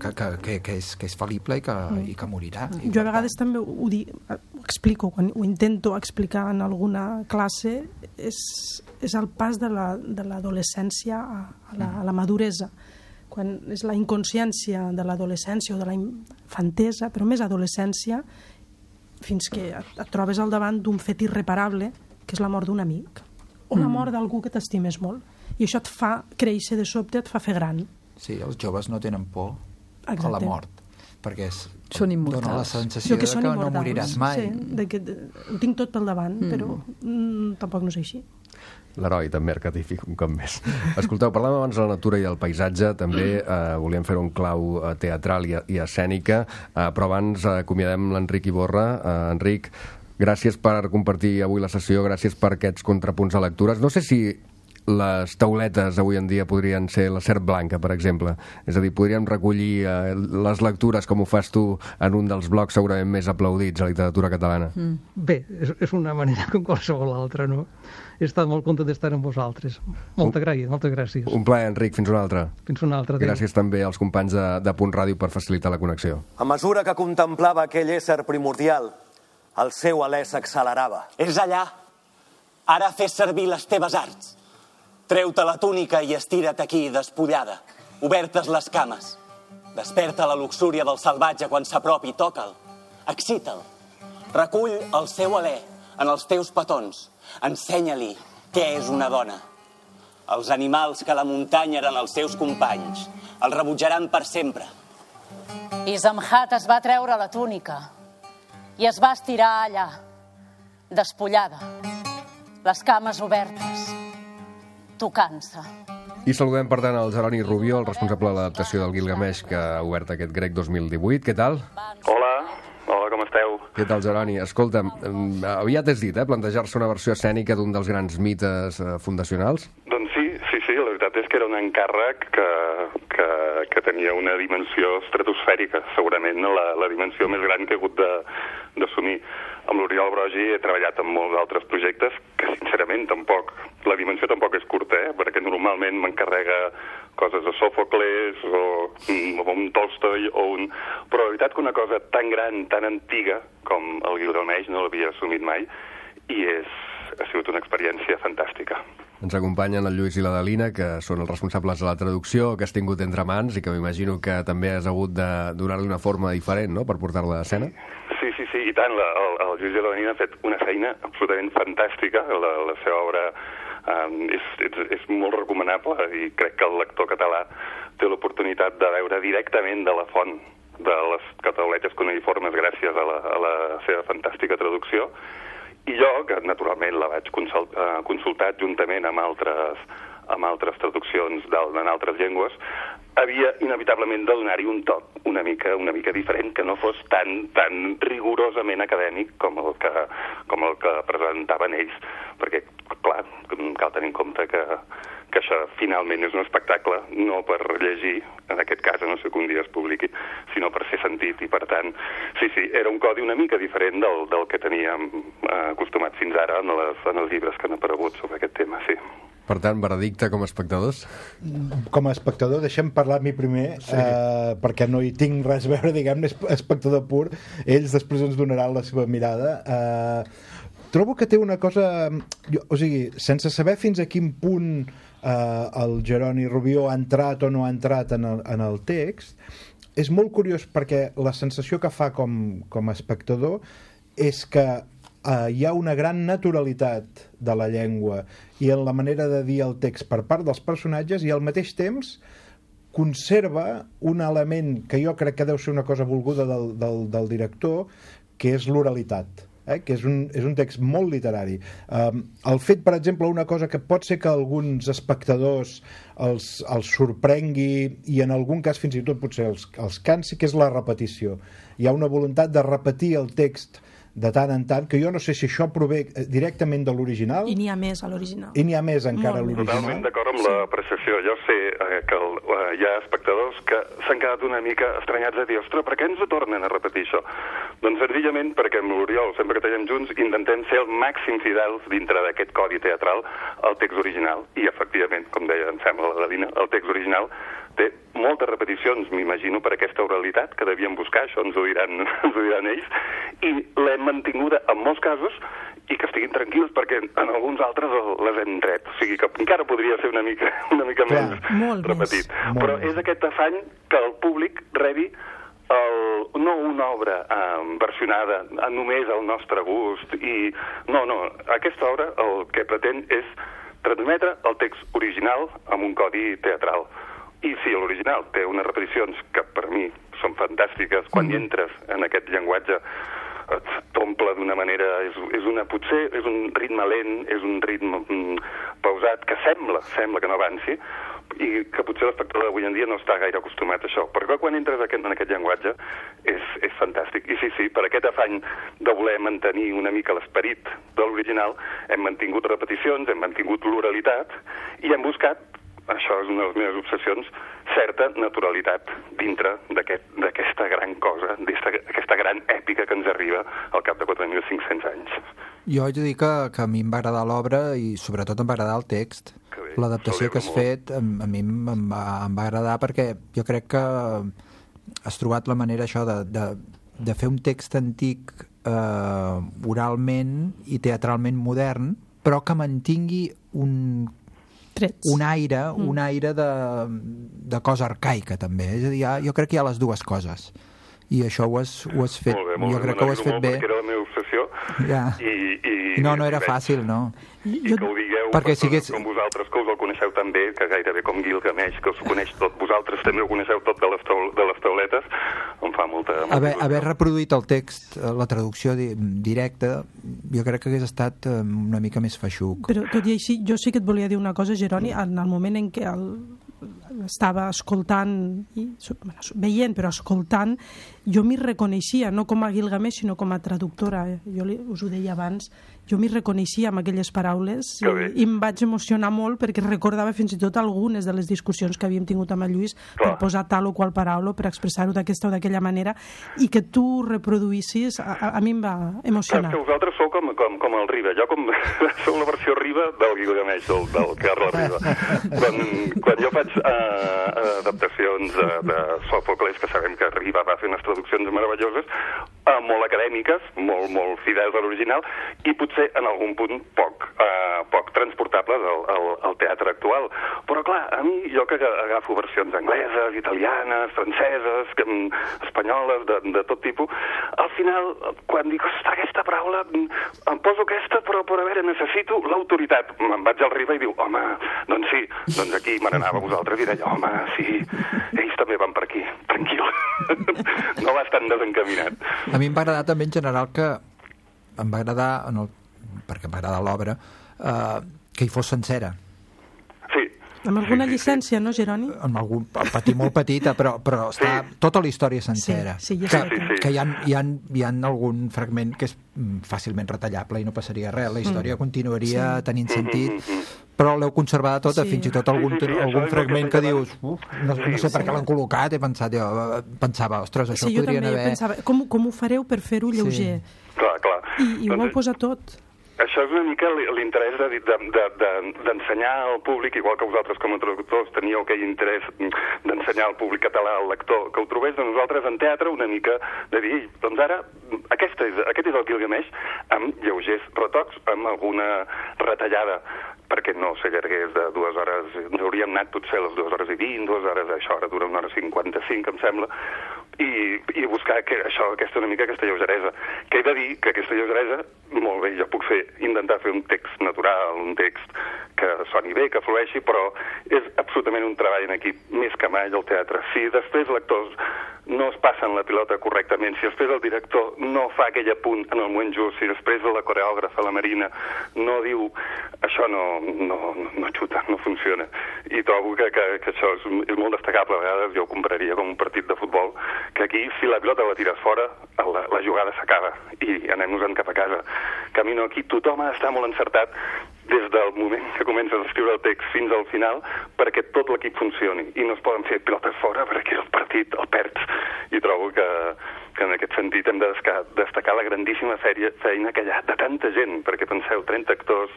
és fal·lible i que morirà. Jo a vegades també ho explico, quan ho intento explicar en alguna classe, és el pas de l'adolescència a la maduresa. Quan és la inconsciència de l'adolescència o de la infantesa, però més adolescència, fins que et trobes al davant d'un fet irreparable, que és la mort d'un amic, o la mort d'algú que t'estimes molt. I això et fa créixer de sobte, et fa fer gran. Sí, els joves no tenen por a la mort, perquè són immortals. Dona la sensació que no moriràs mai. Sí, que ho tinc tot pel davant, però tampoc no és així. L'heroi també arquetífic, un cop més. Escolteu, parlàvem abans de la natura i el paisatge, també volíem fer un clau teatral i escènica, però abans acomiadem l'Enric Iborra. Enric, gràcies per compartir avui la sessió, gràcies per aquests contrapunts de lectures. No sé si les tauletes avui en dia podrien ser la serp blanca, per exemple. És a dir, podríem recollir les lectures com ho fas tu en un dels blocs segurament més aplaudits a la literatura catalana. Bé, és una manera com qualsevol altra, no? He estat molt content d'estar amb vosaltres. Moltes gràcies. Un plaer, Enric. Fins una altra. Fins una altra. Gràcies també als companys de Punt Ràdio per facilitar la connexió. A mesura que contemplava aquell ésser primordial, el seu alè s'accelerava. És allà. Ara fes servir les teves arts. Treu-te la túnica i estira't aquí, despullada, obertes les cames. Desperta la luxúria del salvatge quan s'apropi, toca'l, excita'l. Recull el seu alè en els teus petons. Ensenya-li què és una dona. Els animals que a la muntanya eren els seus companys el rebutjaran per sempre. Isamhat es va treure la túnica i es va estirar allà, despullada, les cames obertes, tocant-se. I saludem, per tant, el Jeroni Rubió, el responsable de l'adaptació del Gilgamesh, que ha obert aquest Grec 2018. Què tal? Hola, com esteu? Què tal, Jeroni? Escolta'm, aviat has dit, plantejar-se una versió escènica d'un dels grans mites fundacionals? Doncs sí, la veritat és que era un encàrrec que tenia una dimensió estratosfèrica, segurament la dimensió més gran que he hagut d'assumir. Amb l'Oriol Brogi he treballat en molts altres projectes que, sincerament, la dimensió tampoc és curta, perquè normalment m'encarrega coses de Sòfocles o un Tolstoi però la veritat que una cosa tan gran, tan antiga com el Gilgamesh no l'havia assumit mai i ha sigut una experiència fantàstica. Ens acompanyen el Lluís i la Dalina, que són els responsables de la traducció, que has tingut entre mans i que m'imagino que també has hagut de donar-li una forma diferent, no?, per portar-la a escena. Sí, i tant. El Lluís i la Dalina ha fet una feina absolutament fantàstica. La seva obra és molt recomanable i crec que el lector català té l'oportunitat de veure directament de la font de les catauletes cuneïformes gràcies a la seva fantàstica traducció. I jo, que naturalment la vaig consultar juntament amb altres traduccions en altres llengües, havia inevitablement de donar-hi un toc una mica diferent, que no fos tan rigorosament acadèmic com el que presentaven ells, perquè, clar, cal tenir en compte que això finalment és un espectacle, no per llegir, en aquest cas, no sé que un dia es publiqui, sinó per ser sentit, i per tant, sí, era un codi una mica diferent del que teníem acostumat fins ara en els llibres que han aparegut sobre aquest tema, sí. Per tant, veredicte com a espectadors? Com a espectador, deixem parlar a mi primer, perquè no hi tinc res a veure, diguem-ne, espectador pur. Ells després ens donaran la seva mirada. Trobo que té una cosa... O sigui, sense saber fins a quin punt el Jeroni Rubió ha entrat o no ha entrat en el text, és molt curiós perquè la sensació que fa com a espectador és que hi ha una gran naturalitat de la llengua i en la manera de dir el text per part dels personatges, i al mateix temps conserva un element que jo crec que deu ser una cosa volguda del director, que és l'oralitat, que és un text molt literari. El fet, per exemple, una cosa que pot ser que alguns espectadors els sorprengui i en algun cas fins i tot potser els cansi, que és la repetició. Hi ha una voluntat de repetir el text de tant en tant, que jo no sé si això prové directament de l'original. I n'hi ha més a l'original. I n'hi ha més encara a l'original. Totalment d'acord amb l'apreciació. Jo sé que hi ha espectadors que s'han quedat una mica estranyats a dir, ostres, per què ens ho tornen a repetir això? Doncs senzillament perquè amb l'Oriol, sempre que treballem junts, intentem ser el màxim fidels dintre d'aquest codi teatral al text original. I efectivament, com deia, em sembla la Dalina, el text original té moltes repeticions, m'imagino, per aquesta oralitat que devien buscar, això ens ho diran ells, i l'hem mantinguda en molts casos i que estiguin tranquils perquè en alguns altres les hem tret. O sigui que encara podria ser una mica més repetit. Però és aquest afany que el públic rebi no una obra versionada només al nostre gust. No, aquesta obra el que pretén és transmetre el text original amb un codi teatral. I sí, l'original té unes repeticions que per mi són fantàstiques. Quan hi entres en aquest llenguatge et t'omple d'una manera... Potser és un ritme lent, és un ritme pausat, que sembla que no avanci, i que potser l'espectador d'avui en dia no està gaire acostumat a això. Però quan entres en aquest llenguatge és fantàstic. I sí, per aquest afany de voler mantenir una mica l'esperit de l'original, hem mantingut repeticions, hem mantingut l'oralitat i hem buscat, això és una de les meves obsessions, certa naturalitat dintre d'aquesta gran cosa, d'aquesta gran èpica que ens arriba al cap de 4.500 anys. Jo haig de dir que a mi em va agradar l'obra i sobretot em va agradar el text. L'adaptació que has fet a mi em va agradar perquè jo crec que has trobat la manera això de fer un text antic oralment i teatralment modern, però que mantingui un aire de cosa arcaica també, és a dir, jo crec que hi ha les dues coses i això ho has fet, jo crec que ho has fet bé. Perquè era la meva obsessió i no era fàcil, no? I que ho digueu com vosaltres, que us el coneixeu tan bé, que gairebé com Gilgamesh, que us ho coneix tot, vosaltres també ho coneixeu tot de les tauletes, em fa molta haver reproduït el text, la traducció directa, jo crec que hagués estat una mica més feixuc. Però tot i així, jo sí que et volia dir una cosa, Jeroni, en el moment en què estava escoltant, veient, però escoltant, jo m'hi reconeixia, no com a Gilgamesh, sinó com a traductora. Jo us ho deia abans, jo m'hi reconeixia amb aquelles paraules i em vaig emocionar molt perquè recordava fins i tot algunes de les discussions que havíem tingut amb el Lluís per posar tal o qual paraula, per expressar-ho d'aquesta o d'aquella manera, i que tu reproduïssis, a mi em va emocionar. Que vosaltres sou com el Riba, jo sou la versió Riba del Gilgamesh, del Carles Riba. Quan jo faig adaptacions de Sòfocles, que sabem que Riba va fer unes traduccions meravelloses, molt acadèmiques, molt fidels a l'original, i potser en algun punt poc transportables al teatre actual. Però clar, a mi, jo que agafo versions angleses, italianes, franceses, espanyoles, de tot tipus, al final, quan dic, ostres, aquesta paraula, em poso aquesta, però a veure, necessito l'autoritat. Me'n vaig al Riba i diu, home, doncs sí, doncs aquí me n'anava a vosaltres i deia, home, sí, ells també van per aquí, tranquil. No va estar desencaminat. A mi em va agradar també en general que em va agradar, perquè em va agradar l'obra, que hi fos sencera. Sí. Amb alguna llicència, no, Jeroni? Amb algun molt petita, però està tota la història sencera. Que hi ha algun fragment que és fàcilment retallable i no passaria res. La història continuaria tenint sentit, però l'heu conservada tota, fins i tot algun fragment que dius, no sé per què l'han col·locat, pensava, ostres, això podrien haver... Pensava, com ho fareu per fer-ho lleuger? Clar. I ho heu posat tot. Això és una mica l'interès d'ensenyar al públic, igual que vosaltres com a traductors teníeu aquell interès d'ensenyar al públic català, al lector, que ho trobés de nosaltres en teatre una mica de dir, doncs ara aquest és el Gilgamesh amb lleugers retocs, amb alguna retallada, perquè no s'allargués de 2 hores, ens hauríem anat potser a les 2 hores i 20, 2 hores, això ara dura 1 hora 55, em sembla, i buscar aquesta lleugeresa. Que he de dir que aquesta lleugeresa, molt bé, jo puc intentar fer un text natural, un text que soni bé, que flueixi, però és absolutament un treball en equip, més que mai al teatre. Si després l'actors no es passen la pilota correctament, si després el director no fa aquell apunt en el moment just, si després la coreògrafa, la Marina, no diu això no xuta, no funciona. I trobo que això és molt destacable. A vegades jo ho compararia com un partit de futbol, que aquí, si la pilota la tires fora, la jugada s'acaba i anem-nos-en cap a casa. Camino aquí, tothom ha d'estar molt encertat des del moment que comences a escriure el text fins al final perquè tot l'equip funcioni i no es poden fer pilotes fora perquè el partit el perds. I trobo que en aquest sentit hem de destacar la grandíssima feina que hi ha de tanta gent, perquè penseu, 30 actors,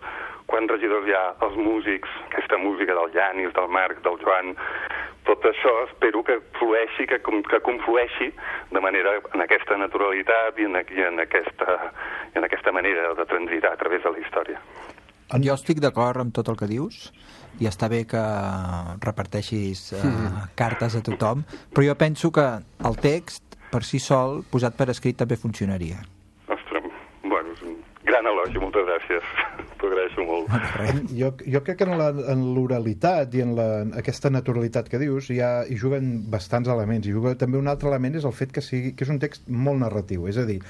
quants regidors hi ha, els músics, aquesta música del Llanis, del Marc, del Joan, tot això espero que flueixi, que conflueixi de manera en aquesta naturalitat i en aquesta manera de transitar a través de la història. Jo estic d'acord amb tot el que dius i està bé que reparteixis cartes a tothom, però jo penso que el text per si sol, posat per escrit, també funcionaria. Ostres, bueno, és un gran elogi, moltes gràcies. T'ho agraeixo molt. Jo crec que en l'oralitat i en aquesta naturalitat que dius hi juguen bastants elements. I juga també un altre element és el fet que és un text molt narratiu. És a dir,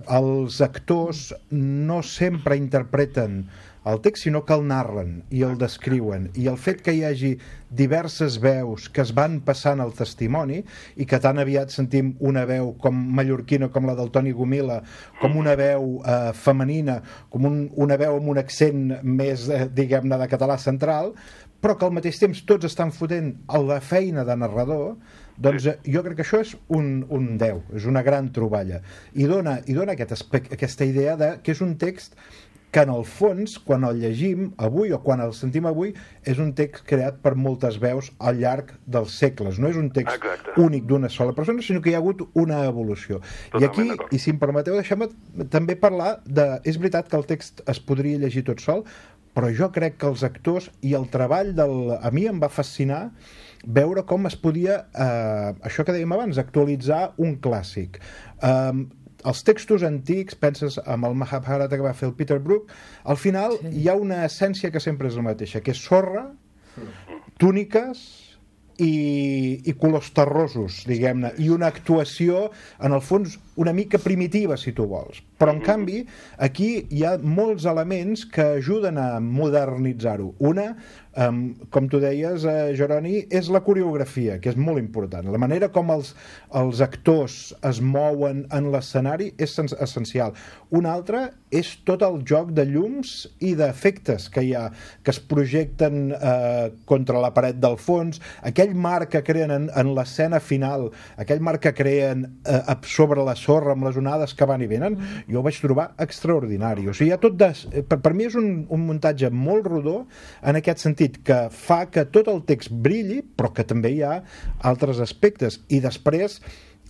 els actors no sempre interpreten el text, sinó que el narren i el descriuen. I el fet que hi hagi diverses veus que es van passant al testimoni i que tan aviat sentim una veu com mallorquina, com la del Toni Gomila, com una veu femenina, com una veu amb un accent més, diguem-ne, de català central, però que al mateix temps tots estan fotent la feina de narrador, doncs jo crec que això és un 10, és una gran troballa. I dona aquesta idea que és un text que en el fons, quan el llegim avui o quan el sentim avui, és un text creat per moltes veus al llarg dels segles. No és un text únic d'una sola persona, sinó que hi ha hagut una evolució. I aquí, i si em permeteu, deixem-me també parlar és veritat que el text es podria llegir tot sol, però jo crec que els actors i el treball a mi em va fascinar veure com es podia, això que dèiem abans, actualitzar un clàssic. Els textos antics, penses amb el Mahabharata que va fer el Peter Brook, al final hi ha una essència que sempre és la mateixa, que és sorra, túniques i colors terrosos, diguem-ne, i una actuació, en el fons, una mica primitiva, si tu vols. Però, en canvi, aquí hi ha molts elements que ajuden a modernitzar-ho. Una, com tu deies, Jeroni, és la coreografia, que és molt important. La manera com els actors es mouen en l'escenari és essencial. Una altra és tot el joc de llums i d'efectes que hi ha, que es projecten contra la paret del fons, aquell marc que creen en l'escena final, aquell marc que creen sobre la sorra amb les onades que van i venen, jo ho vaig trobar extraordinari. O sigui, hi ha tot per mi és un muntatge molt rodó en aquest sentit, que fa que tot el text brilli, però que també hi ha altres aspectes. I després,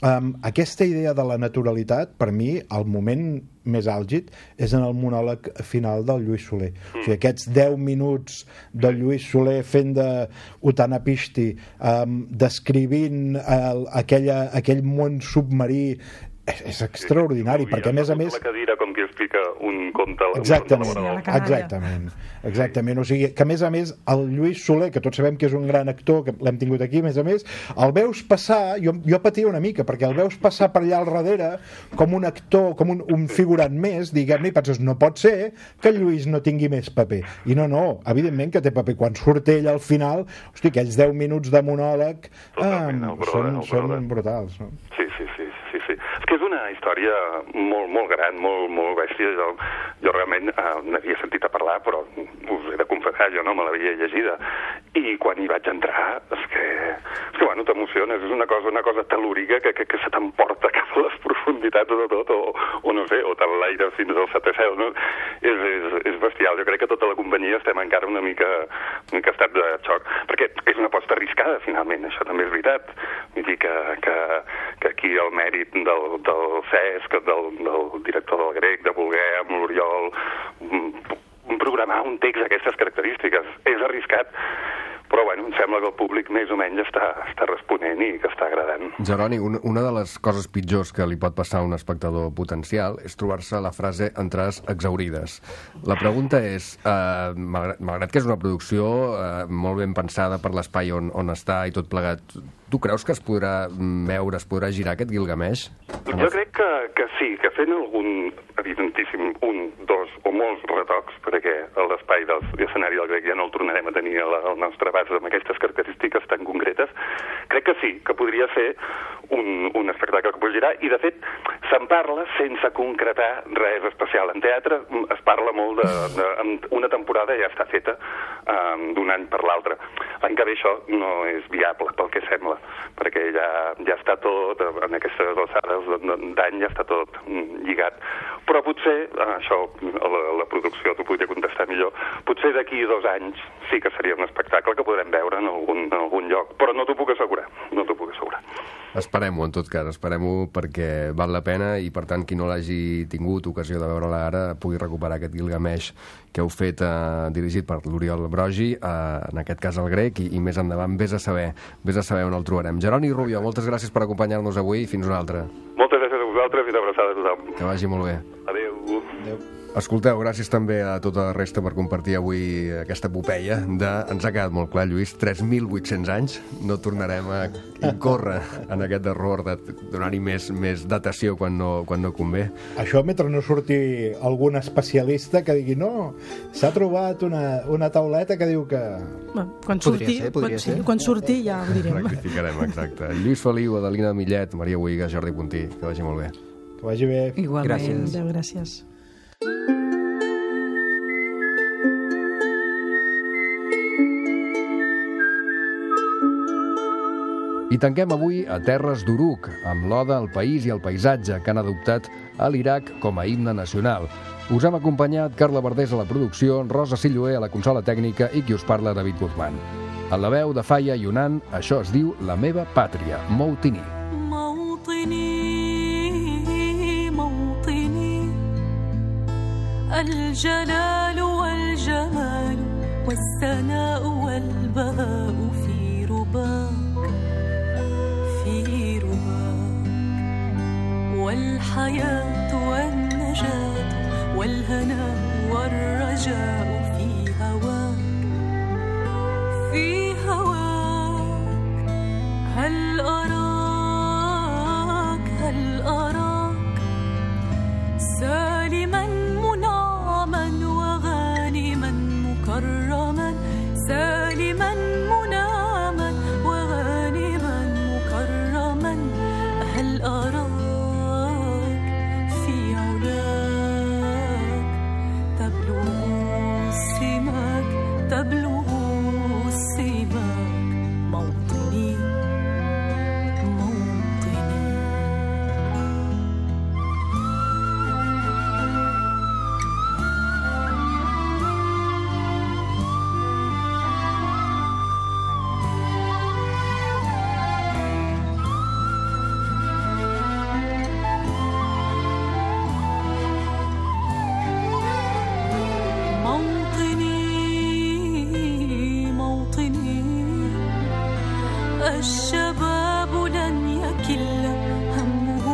aquesta idea de la naturalitat, per mi, el moment més àlgid és en el monòleg final del Lluís Soler. O sigui, aquests 10 minuts del Lluís Soler fent de Utanapishti, descrivint aquell món submarí, és extraordinari, perquè a més la cadira com que explica un conte exactament, o sigui que a més el Lluís Soler, que tots sabem que és un gran actor, que l'hem tingut aquí, a més el veus passar, jo patia una mica perquè el veus passar per allà al darrere com un actor, com un figurant més, diguem-ne, i penses, no pot ser que el Lluís no tingui més paper, i no, evidentment que té paper. Quan surt ell al final, hosti, aquells 10 minuts de monòleg són brutals, no? Sí. És que és una història molt gran, molt bèstia. Jo realment n'havia sentit a parlar, però us he de confessar, jo no me l'havia llegida. I quan hi vaig entrar, és que bueno, t'emociones. És una cosa telúrica que se t'emporta cap a les profunditats de tot, o no sé, o te l'aire fins al setè cel, no? És bestial. Jo crec que tota la companyia estem encara una mica estat de xoc, perquè és una aposta arriscada, finalment, això també és veritat. Vull dir que aquí el mèrit del Cesc, del director del Grec, de voler amb l'Oriol programar un text d'aquestes característiques és arriscat, Però, bueno, em sembla que el públic més o menys està responent i que està agradant. Jeroni, una de les coses pitjors que li pot passar a un espectador potencial és trobar-se la frase entrades exaurides. La pregunta és, malgrat que és una producció molt ben pensada per l'espai on està i tot plegat, tu creus que es podrà veure, es podrà girar aquest Gilgamesh? Jo crec que sí, que fent algun, evidentíssim, un, dos o molts retocs, perquè l'espai de l'escenari del grec ja no el tornarem a tenir al nostre abast amb aquestes característiques tan concretes, crec que sí, que podria ser un espectacle que pot girar, i de fet se'n parla sense concretar res especial. En teatre es parla molt una temporada ja està feta d'un any per l'altre. L'any que ve això no és viable, pel que sembla, perquè ja està tot, en aquestes alçades d'any ja està tot lligat. Però potser, això la producció t'ho podria contestar millor, potser d'aquí 2 anys sí que seria un espectacle que podrem veure en algun lloc, però no t'ho puc assegurar, no t'ho puc assegurar. Esperem-ho, en tot cas, esperem-ho perquè val la pena i, per tant, qui no l'hagi tingut ocasió de veure-la ara pugui recuperar aquest Gilgamesh que heu fet dirigit per l'Oriol Brogi, en aquest cas el grec, i més endavant vés a saber on el trobarem. Jeroni Rubio, moltes gràcies per acompanyar-nos avui i fins una altra. Moltes gràcies a vosaltres i una abraçada a tothom. Que vagi molt bé. Adéu. Escolteu, gràcies també a tota la resta per compartir avui aquesta epopeia ens ha quedat molt clar, Lluís, 3.800 anys, no tornarem a incórrer en aquest error de donar-hi més datació quan no convé. Això mentre no surti algun especialista que digui no, s'ha trobat una tauleta que diu que... Quan surti ja ho direm. Rectificarem, exacte. Lluís Feliu, Adelina Millet, Maria Bohigas, Jordi Puntí, que vagi molt bé. Que vagi bé. Igualment. Gràcies. I tanquem avui a terres d'Uruk, amb l'Oda al País i al Paisatge, que han adoptat a l'Iraq com a himne nacional. Us hem acompanyat Carla Verdés a la producció, Rosa Silloé a la consola tècnica i qui us parla, David Guzmán. A la veu de Faya Yunan, això es diu La meva pàtria, Moutini. الجلال والجمال والثناء والبهاء في رباك والحياة والنجاة والهناء والرجاء في هواك هل أراك سالما منعما وغانما مكرما سالما منعما وغانما مكرما هل أراك تبلغ السماك موطني الشباب لن يكل همه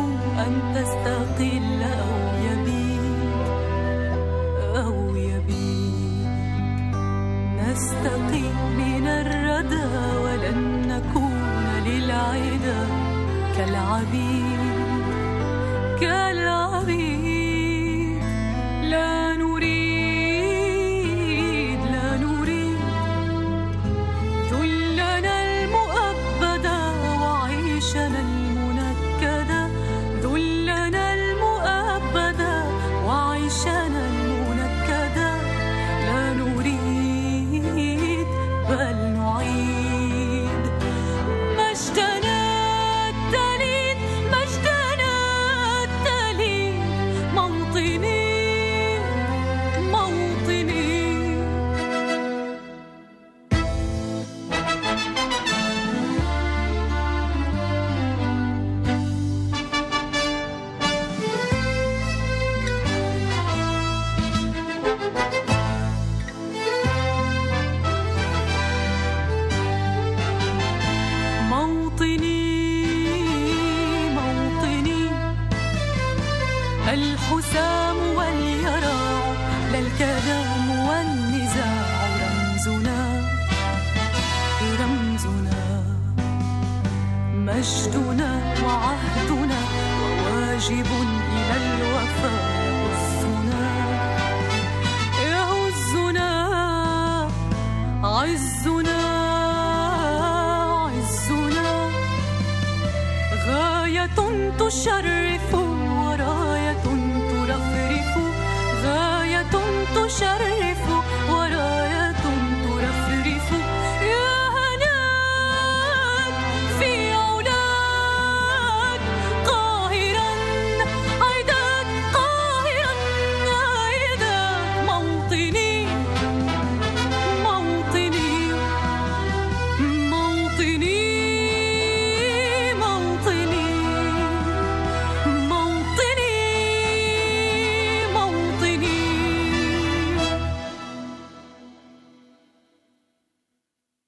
أن تستقل أو يبيد نستقي من الردى ولن نكون للعدا كالعبيد لا